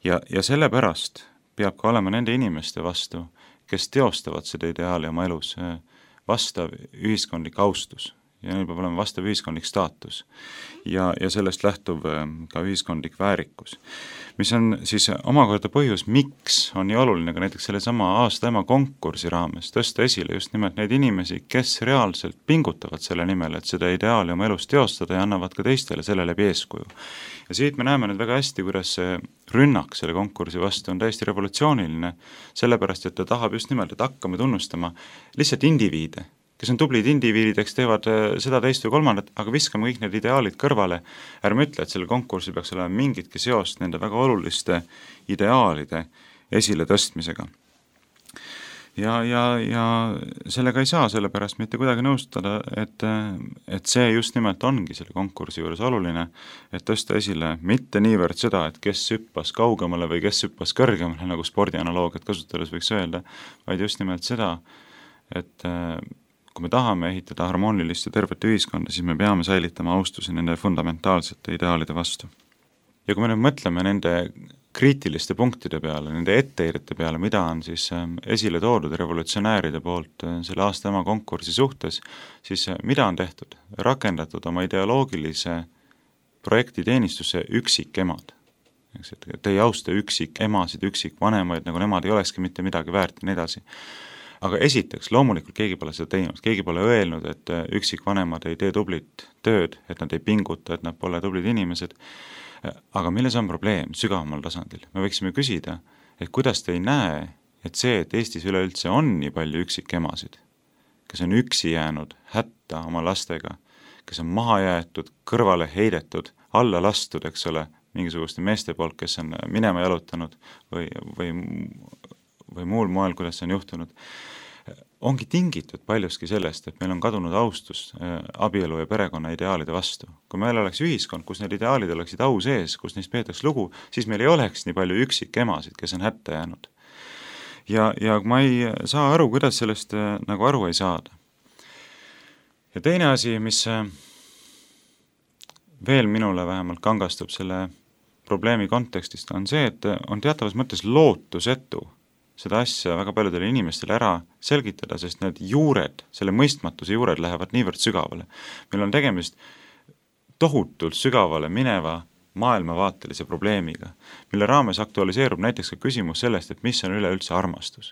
Ja sellepärast peab ka olema nende inimeste vastu, kes teostavad seda ideaali oma elus, vastav ühiskondlik austus. Ja neil peab olema vastav ühiskondlik staatus ja sellest lähtuv ka ühiskondlik väärikus. Mis on siis omakorda põhjus, miks on nii oluline ka näiteks selle sama aasta ema konkursi raames tõsta esile just nimelt neid inimesi, kes reaalselt pingutavad selle nimel, et seda ideaali oma elus teostada ja annavad ka teistele selle läbi eeskuju. Ja siit me näeme nüüd väga hästi, kuidas see rünnak selle konkursi vastu on täiesti revolutsiooniline, sellepärast, et ta tahab just nimelt, et hakkame tunnustama lihtsalt indiviide, kes on tublid indiviidideks, teevad seda teist või kolmandat, aga viskame kõik need ideaalid kõrvale. Ärme ütle, et selle konkursil peaks olema mingitki seost nende väga oluliste ideaalide esile tõstmisega. Ja sellega ei saa sellepärast mitte kuidagi nõustada, et see just nimelt ongi selle konkursi juures oluline, et tõsta esile mitte niivõrd seda, et kes hüppas kaugemale või kes hüppas kõrgemale, nagu spordianaloogiat kasutades võiks öelda, vaid just nimelt seda, et kui me tahame ehitada harmoonilist ja tervet ühiskonda, siis me peame säilitama austuse nende fundamentaalsete ideaalide vastu. Ja kui me nüüd mõtleme nende kriitiliste punktide peale, nende etteheidete peale, mida on siis esile toodud revolutsionääride poolt selle aasta ema konkursi suhtes, siis mida on tehtud? Rakendatud oma ideoloogilise projekti teenistusse üksikemad. Et ei austa üksikemasid, üksikvanemaid, nagu nemad ei olekski mitte midagi väärt ja nii edasi. Aga esiteks, loomulikult keegi pole seda teinud, keegi pole öelnud, et üksikvanemad ei tee tublit tööd, et nad ei pinguta, et nad pole tublid inimesed. Aga milles on probleem sügavamal tasandil? Me võiksime küsida, et kuidas te ei näe, et see, et Eestis üleüldse on nii palju üksikemasid, kes on üksi jäänud hätta oma lastega, kes on maha jäetud, kõrvale heidetud, alla lastud, eks ole, mingisuguste meeste poolt, kes on minema jalutanud või muul moel, kuidas see on juhtunud, ongi tingitud paljuski sellest, et meil on kadunud austus abielu ja perekonna ideaalide vastu. Kui meil oleks ühiskond, kus need ideaalid oleksid au sees, kus neist peetaks lugu, siis meil ei oleks nii palju üksikemasid, kes on hätta jäänud. Ja ma ei saa aru, kuidas sellest nagu aru ei saada. Ja teine asi, mis veel minule vähemalt kangastub selle probleemi kontekstist, on see, et on teatavas mõttes lootusetu seda asja väga paljudele inimestele ära selgitada, sest need juured, selle mõistmatuse juured lähevad niivõrd sügavale. Meil on tegemist tohutult sügavale mineva maailmavaatelise probleemiga, mille raames aktualiseerub näiteks ka küsimus sellest, et mis on üleüldse armastus.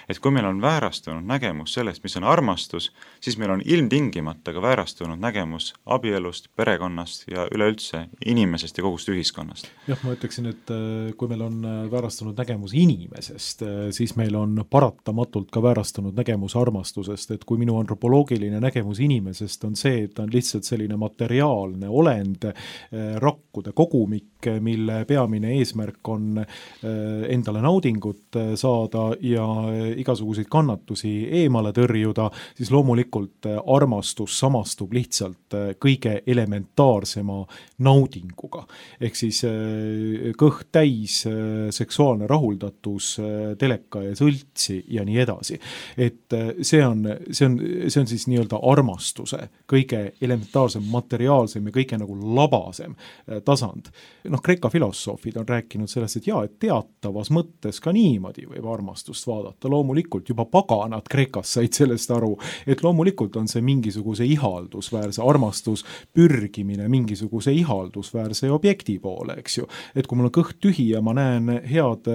Et kui meil on väärastunud nägemus sellest, mis on armastus, siis meil on ilmtingimata ka väärastunud nägemus abielust, perekonnast ja üleüldse inimesest ja kogust ühiskonnast. Jah, ma ütleksin, et kui meil on väärastunud nägemus inimesest, siis meil on paratamatult ka väärastunud nägemus armastusest, et kui minu antropoloogiline nägemus inimesest on see, et ta on lihtsalt selline materiaalne olend, rakkude kogumik, mille peamine eesmärk on endale naudingut saada ja igasuguseid kannatusi eemale tõrjuda, siis loomulikult armastus samastub lihtsalt kõige elementaarsema naudinguga. Ehk siis kõht täis, seksuaalne rahuldatus, teleka ja sõltsi ja nii edasi. Et see on siis nii-öelda armastuse kõige elementaarsem, materiaalsem ja kõige nagu labasem tasand. Kreeka filosoofid on rääkinud sellest, et jaa, et teatavas mõttes ka niimoodi võib armastust vaadata. Loomulikult juba paganad Kreekas said sellest aru, et loomulikult on see mingisuguse ihaldusväärse armastus pürgimine mingisuguse ihaldusväärse objekti poole, eks ju. Et kui mul on kõht tühi ja ma näen head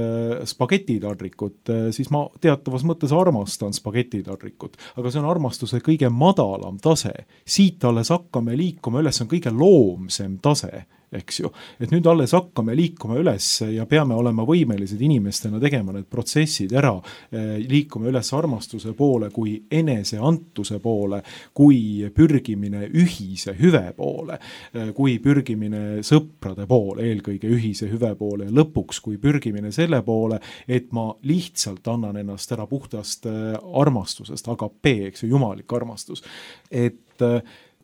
spagetitadrikut, siis ma teatavas mõttes armastan spagetitadrikut, aga see on armastuse kõige madalam tase. Siit alles hakkame liikuma üles, on kõige loomsem tase, eks ju. Et nüüd alles hakkame liikuma üles ja peame olema võimelised inimestena tegema need protsessid ära, liikuma üles armastuse poole kui eneseantuse poole, kui pürgimine ühise hüve poole, kui pürgimine sõprade poole, eelkõige ühise hüve poole ja lõpuks kui pürgimine selle poole, et ma lihtsalt annan ennast ära puhtast armastusest, agape, eks ju, jumalik armastus. Et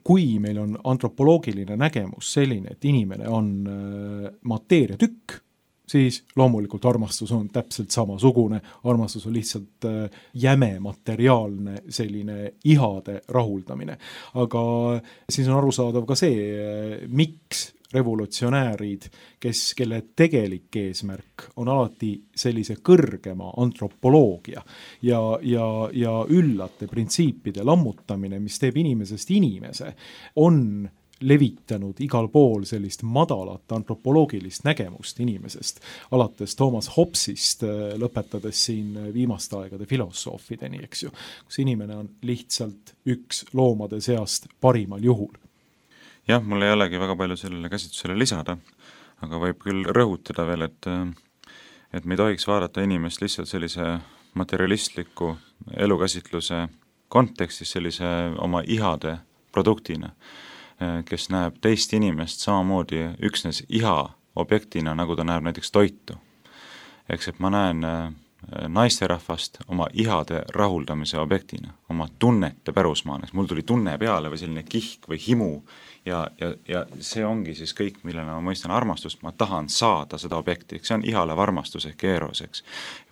kui meil on antropoloogiline nägemus selline, et inimene on mateeriatükk, siis loomulikult armastus on täpselt samasugune, armastus on lihtsalt jäme materiaalne selline ihade rahuldamine. Aga siis on arusaadav ka see, miks revolutsionäärid, kelle tegelik eesmärk on alati sellise kõrgema antropoloogia ja üllate printsiipide lammutamine, mis teeb inimesest inimese, on levitanud igal pool sellist madalat antropoloogilist nägemust inimesest, alates Thomas Hobbesist, lõpetades siin viimaste aegade filosoofideni, eks ju, kus inimene on lihtsalt üks loomade seast parimal juhul. Jah, mul ei olegi väga palju sellele käsitlusele lisada, aga võib küll rõhutada veel, et me ei tohiks vaadata inimest lihtsalt sellise materialistliku elukäsitluse kontekstis sellise oma ihade produktina, kes näeb teist inimest samamoodi üksnes iha objektina, nagu ta näeb näiteks toitu. Eks, et ma näen naisterahvast oma ihade rahuldamise objektina, oma tunnete pärusmaana, mul tuli tunne peale või selline kihk või himu ja see ongi siis kõik, millele ma mõistan armastust, ma tahan saada seda objekti, see on ihalev armastus ehk eros, eks.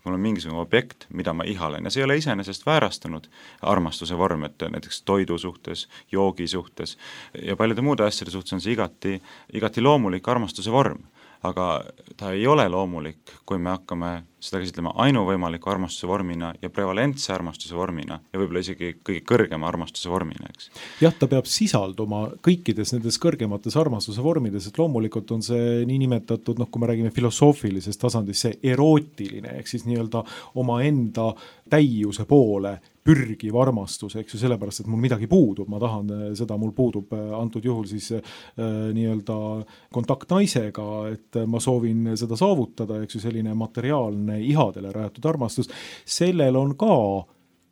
Mul on mingisugune objekt, mida ma ihalen ja see ei ole iseenesest väärastunud armastuse vorm, et näiteks toidu suhtes, joogi suhtes ja paljude muude asjade suhtes on see igati loomulik armastuse vorm. aga ta ei ole loomulik, kui me hakkame seda käsitlema ainuvõimaliku armastuse vormina ja prevalentse armastuse vormina ja võib-olla isegi kõige kõrgema armastuse vormina, eks. Jah, ta peab sisalduma kõikides nendes kõrgemates armastuse vormides, et loomulikult on see niinimetatud, kui me räägime filosoofilisest tasandist, see erootiline, ehk siis nii-öelda omaenda täiuse poole pürgiv armastus, eks ju, sellepärast, et mul midagi puudub, ma tahan seda, mul puudub antud juhul siis nii-öelda kontakt naisega, et ma soovin seda saavutada, eks ju, selline materiaalne ihadele rajatud armastus, sellel on ka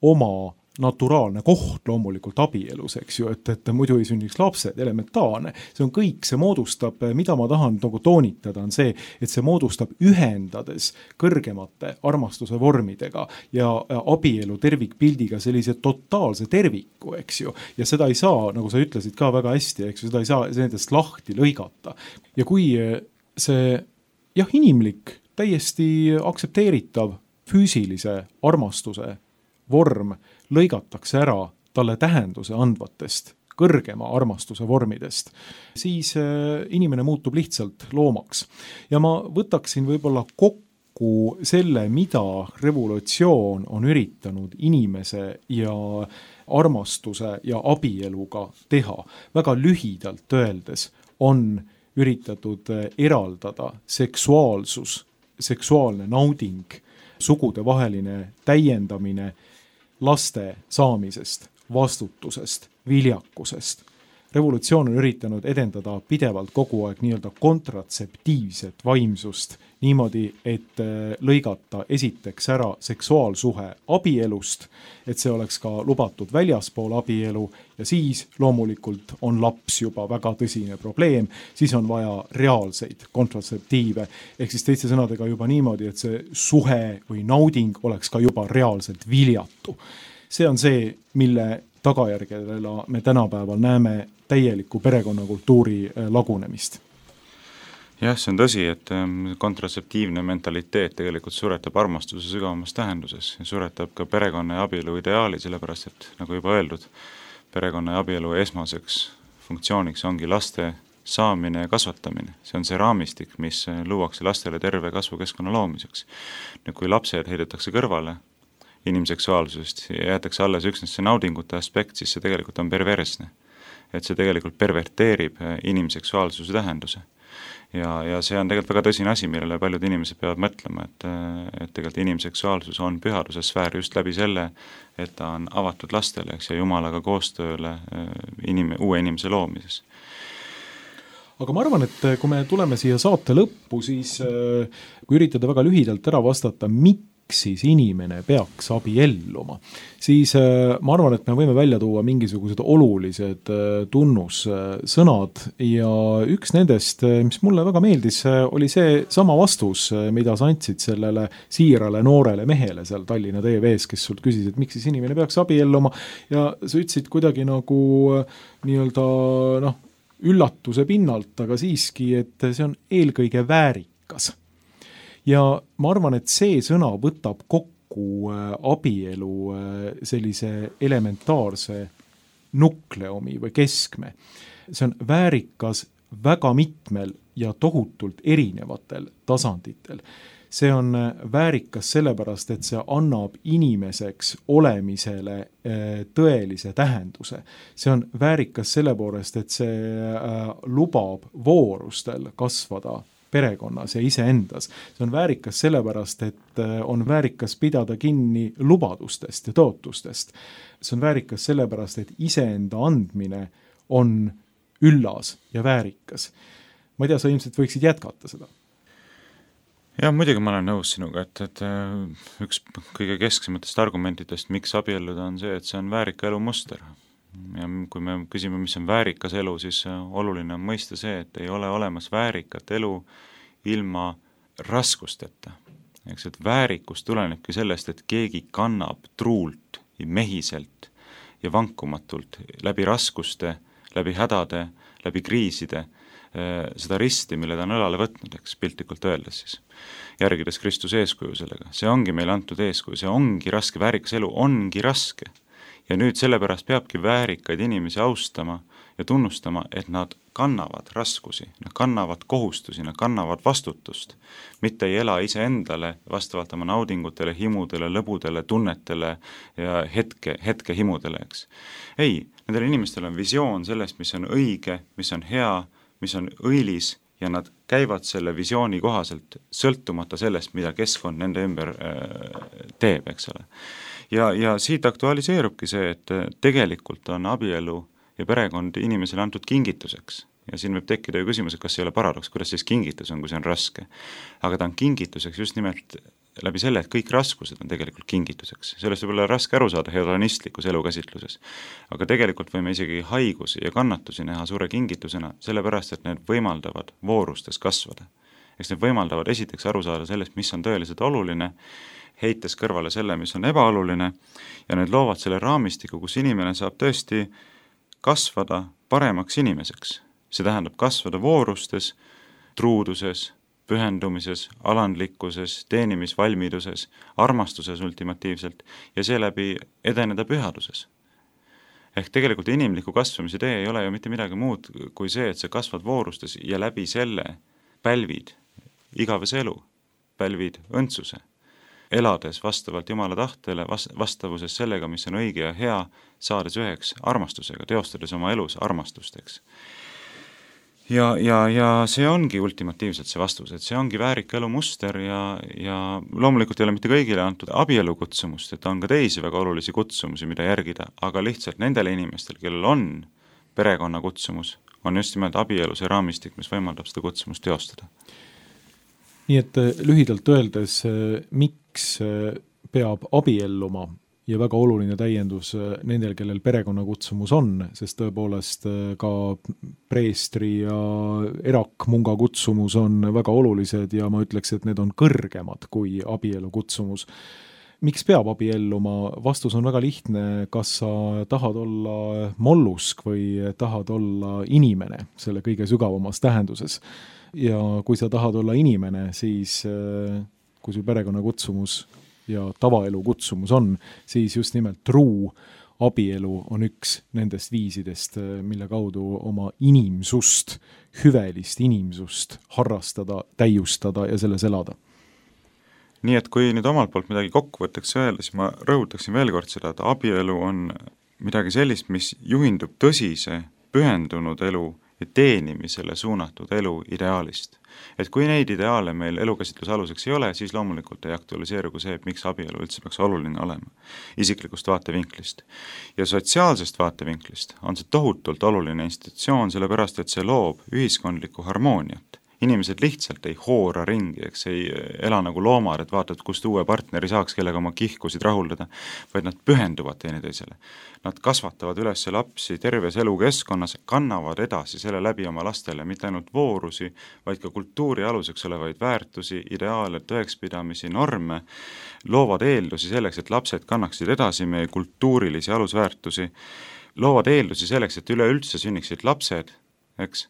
oma naturaalne koht loomulikult abielus, eks ju, et muidu ei sünniks lapsed, elementaarne. See on kõik, see moodustab, mida ma tahan toonitada, on see, et see moodustab ühendades kõrgemate armastuse vormidega ja abielu tervikpildiga sellise totaalse terviku, eks ju. Ja seda ei saa, nagu sa ütlesid ka väga hästi, eks ju, seda ei saa nendest lahti lõigata. Ja kui see, inimlik, täiesti aktsepteeritav füüsilise armastuse vorm lõigatakse ära talle tähenduse andvatest kõrgema armastuse vormidest, siis inimene muutub lihtsalt loomaks. Ja ma võtaksin võib-olla kokku selle, mida revolutsioon on üritanud inimese ja armastuse ja abieluga teha. Väga lühidalt öeldes on üritatud eraldada seksuaalsus, seksuaalne nauding, sugudevaheline täiendamine laste saamisest, vastutusest, viljakusest. Revolutsioon on üritanud edendada pidevalt kogu aeg nii-öelda kontratseptiivset vaimsust niimoodi, et lõigata esiteks ära seksuaalsuhe abielust, et see oleks ka lubatud väljaspool abielu ja siis loomulikult on laps juba väga tõsine probleem, siis on vaja reaalseid kontratseptiive, ehk siis teiste sõnadega juba niimoodi, et see suhe või nauding oleks ka juba reaalselt viljatu. See on see, mille tagajärgedele me tänapäeval näeme täielikku perekonnakultuuri lagunemist. Jah, see on tõsi, et kontratseptiivne mentaliteet tegelikult suretab armastuse sügavamas tähenduses ja suretab ka perekonna ja abielu ideaali, sellepärast et, nagu juba öeldud, perekonna ja abielu esmaseks funktsiooniks ongi laste saamine ja kasvatamine. See on see raamistik, mis luuakse lastele terve kasvukeskkonna loomiseks. Nüüd, kui lapsed heidetakse kõrvale inimseksuaalsusest ja jäetakse alles üksnes see naudingute aspekt, siis see tegelikult on perversne. Et see tegelikult perverteerib inimseksuaalsuse tähenduse. Ja see on tegelikult väga tõsine asi, millele paljud inimesed peavad mõtlema, et tegelikult inimseksuaalsus on pühaduse sfäär just läbi selle, et ta on avatud lastele, eks, ja Jumalaga koostööle uue inimese loomises. Aga ma arvan, et kui me tuleme siia saate lõppu, siis kui üritada väga lühidalt ära vastata, miks siis inimene peaks abielluma, siis ma arvan, et me võime välja tuua mingisugused olulised tunnussõnad ja üks nendest, mis mulle väga meeldis, oli see sama vastus, mida sa andsid sellele siirale noorele mehele seal Tallinna TV-s, kes sult küsis, et miks siis inimene peaks abielluma ja sa ütlesid kuidagi nagu nii-öelda üllatuse pinnalt, aga siiski, et see on eelkõige väärikas. Ja ma arvan, et see sõna võtab kokku abielu sellise elementaarse nukleumi või keskme. See on väärikas väga mitmel ja tohutult erinevatel tasanditel. See on väärikas sellepärast, et see annab inimeseks olemisele tõelise tähenduse. See on väärikas sellepärast, et see lubab voorustel kasvada perekonnas ja iseendas. See on väärikas sellepärast, et on väärikas pidada kinni lubadustest ja tootustest. See on väärikas sellepärast, et iseenda andmine on üllas ja väärikas. Ma ei tea, sa ilmselt võiksid jätkata seda. Ja muidugi ma olen nõus sinuga, et üks kõige kesksematest argumentidest, miks abielluda on see, et see on väärika elu muster. Ja kui me küsime, mis on väärikas elu, siis oluline on mõista see, et ei ole olemas väärikat elu ilma raskusteta. Eks, et väärikus tulenebki sellest, et keegi kannab truult ja mehiselt ja vankumatult läbi raskuste, läbi hädade, läbi kriiside seda risti, mille ta on õlale võtnud, eks piltlikult öeldes siis, järgides Kristuse eeskuju sellega. See ongi meile antud eeskuju, see ongi raske, väärikas elu ongi raske. Ja nüüd sellepärast peabki väärikaid inimesi austama ja tunnustama, et nad kannavad raskusi, nad kannavad kohustusi, nad kannavad vastutust, mitte ei ela iseendale vastavalt oma naudingutele, himudele, lõbudele, tunnetele ja hetke himudele, eks. Ei, nendel inimestel on visioon sellest, mis on õige, mis on hea, mis on õilis ja nad käivad selle visiooni kohaselt sõltumata sellest, mida keskkond nende ümber teeb, eks ole. Ja siit aktualiseerubki see, et tegelikult on abielu ja perekond inimesele antud kingituseks. Ja siin võib tekkida ju küsimus, et kas ei ole paradoks, kuidas siis kingitus on, kui see on raske. Aga ta on kingituseks just nimelt läbi selle, et kõik raskused on tegelikult kingituseks. Sellest võib olla raske aru saada hedonistlikus elukäsitluses. Aga tegelikult võime isegi haigusi ja kannatusi näha suure kingitusena, sellepärast, et need võimaldavad voorustes kasvada. Eks need võimaldavad esiteks aru saada sellest, mis on tõeliselt oluline, heites kõrvale selle, mis on ebaoluline, ja need loovad selle raamistiku, kus inimene saab tõesti kasvada paremaks inimeseks. See tähendab kasvada voorustes, truuduses, pühendumises, alandlikkuses, teenimisvalmiduses, armastuses ultimatiivselt ja seeläbi edeneda pühaduses. Ehk tegelikult inimliku kasvamise tee ei ole ju mitte midagi muud kui see, et sa kasvad voorustes ja läbi selle pälvid igavese elu, pälvid õndsuse, elades vastavalt Jumala tahtele, vastavuses sellega, mis on õige ja hea, saades üheks armastusega, teostades oma elus armastusteks. Ja see ongi ultimatiivselt see vastus, et see ongi väärika elu muster ja loomulikult ei ole mitte kõigile antud abielu kutsumust, et on ka teisi väga olulisi kutsumusi, mida järgida, aga lihtsalt nendele inimestel, kellel on perekonna kutsumus, on just nimelt abielu see raamistik, mis võimaldab seda kutsumust teostada. Nii et lühidalt öeldes, miks peab abielluma ja väga oluline täiendus nendel, kellel perekonnakutsumus on, sest tõepoolest ka preestri ja erakmunga kutsumus on väga olulised ja ma ütleks, et need on kõrgemad kui abielu kutsumus. Miks peab abielluma? Vastus on väga lihtne, kas sa tahad olla mollusk või tahad olla inimene selle kõige sügavamas tähenduses. Ja kui sa tahad olla inimene, siis kui sul perekonnakutsumus ja tavaelu kutsumus on, siis just nimelt truu abielu on üks nendest viisidest, mille kaudu oma inimsust, hüvelist inimsust harrastada, täiustada ja selles elada. Nii et kui nüüd omalt poolt midagi kokkuvõtteks öelda, siis ma rõhutaksin veel kord seda, et abielu on midagi sellist, mis juhindub tõsise, pühendunud elu ja teenimisele suunatud elu ideaalist. Et kui neid ideaale meil elukäsitluse aluseks ei ole, siis loomulikult ei aktualiseeru kui see, et miks abielu üldse peaks oluline olema isiklikust vaatevinklist. Ja sotsiaalsest vaatevinklist on see tohutult oluline institutsioon, sellepärast et see loob ühiskondlikku harmooniat. Inimesed lihtsalt ei hoora ringi, eks ei ela nagu loomad, et vaatad, kust uue partneri saaks, kellega oma kihkusid rahuldada, vaid nad pühenduvad teineteisele. Nad kasvatavad üles lapsi terves elukeskkonnas, kannavad edasi selle läbi oma lastele mitte ainult voorusi, vaid ka kultuuri aluseks olevaid väärtusi, ideaale, tõekspidamisi, norme, loovad eeldusi selleks, et lapsed kannaksid edasi meie kultuurilisi alusväärtusi, loovad eeldusi selleks, et üleüldse sünniksid lapsed, eks.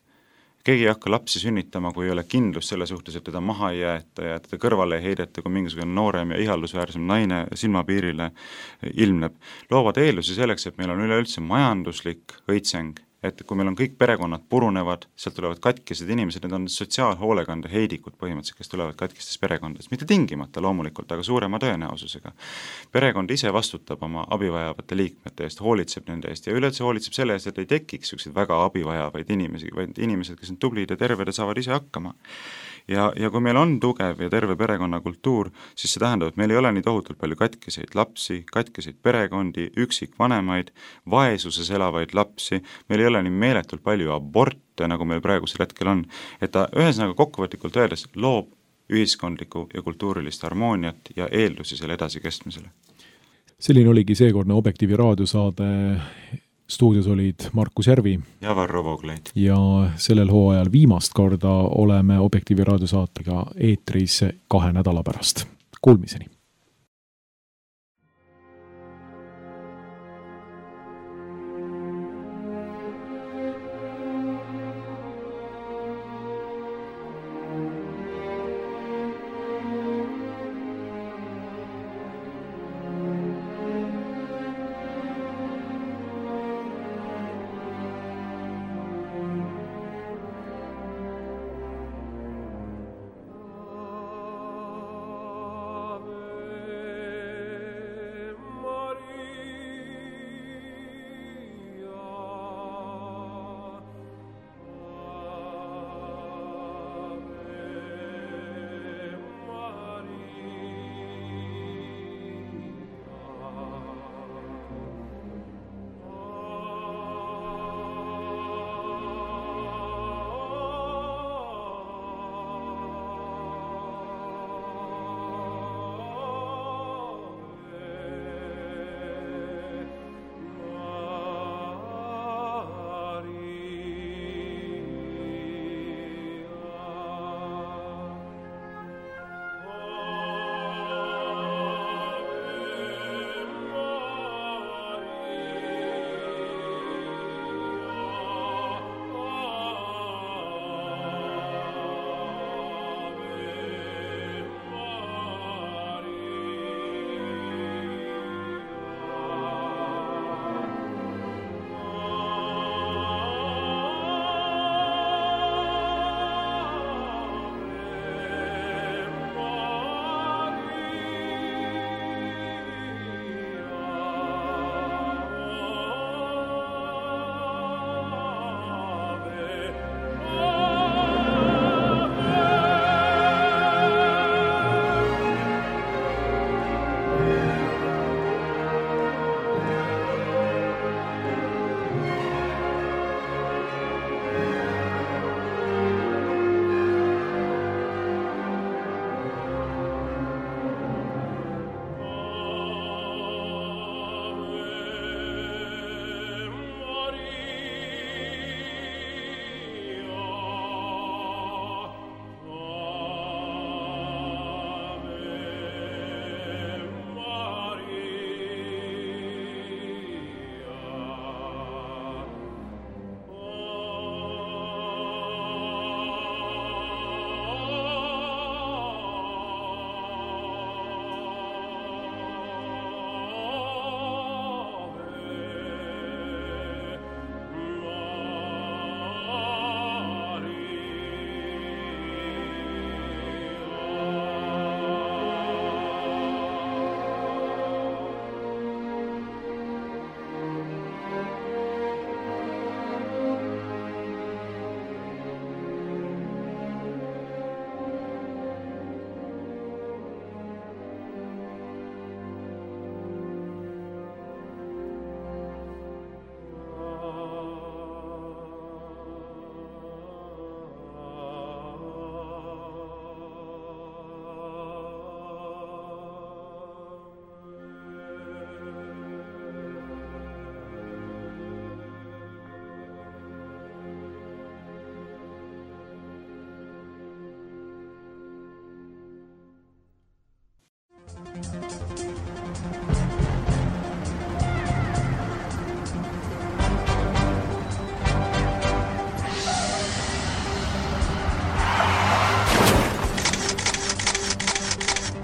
Keegi ei hakka lapsi sünnitama, kui ei ole kindlus selle suhtes, et teda maha ei jäeta ja teda kõrvale ei heideta, kui mingisugune noorem ja ihaldusväärsem naine silmapiirile ilmneb. Loovad eeldusi selleks, et meil on üleüldse majanduslik õitseng, et kui meil on kõik perekonnad purunevad, sealt tulevad katkised inimesed, need on sotsiaalhoolekande heidikud põhimõtteliselt, kes tulevad katkistes perekondades, mitte tingimata loomulikult, aga suurema tõenäosusega. Perekond ise vastutab oma abivajavate liikmete eest, hoolitseb nende eest ja üleüldse hoolitseb selle eest, et ei tekiks selliseid väga abivajavaid inimesi, vaid inimesed, kes on tublid ja terved ja saavad ise hakkama. Ja kui meil on tugev ja terve perekonnakultuur, siis see tähendab, et meil ei ole nii tohutult palju katkiseid lapsi, katkiseid perekondi, üksikvanemaid, vaesuses elavaid lapsi, meil ei ole nii meeletult palju aborte, nagu meil praegusel hetkel on, et ta ühesõnaga kokkuvõtlikult öeldes loob ühiskondlikku ja kultuurilist harmooniat ja eeldusi selle edasikestmisele. Selline oligi seekordne Objektiivi raadiosaade. Stuudios olid Markus Järvi ja Varro Vooglaid. Ja sellel hooajal viimast korda oleme Objektiivi raadiosaatega eetris 2 nädala pärast. Kuulmiseni!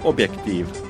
Objektiiv.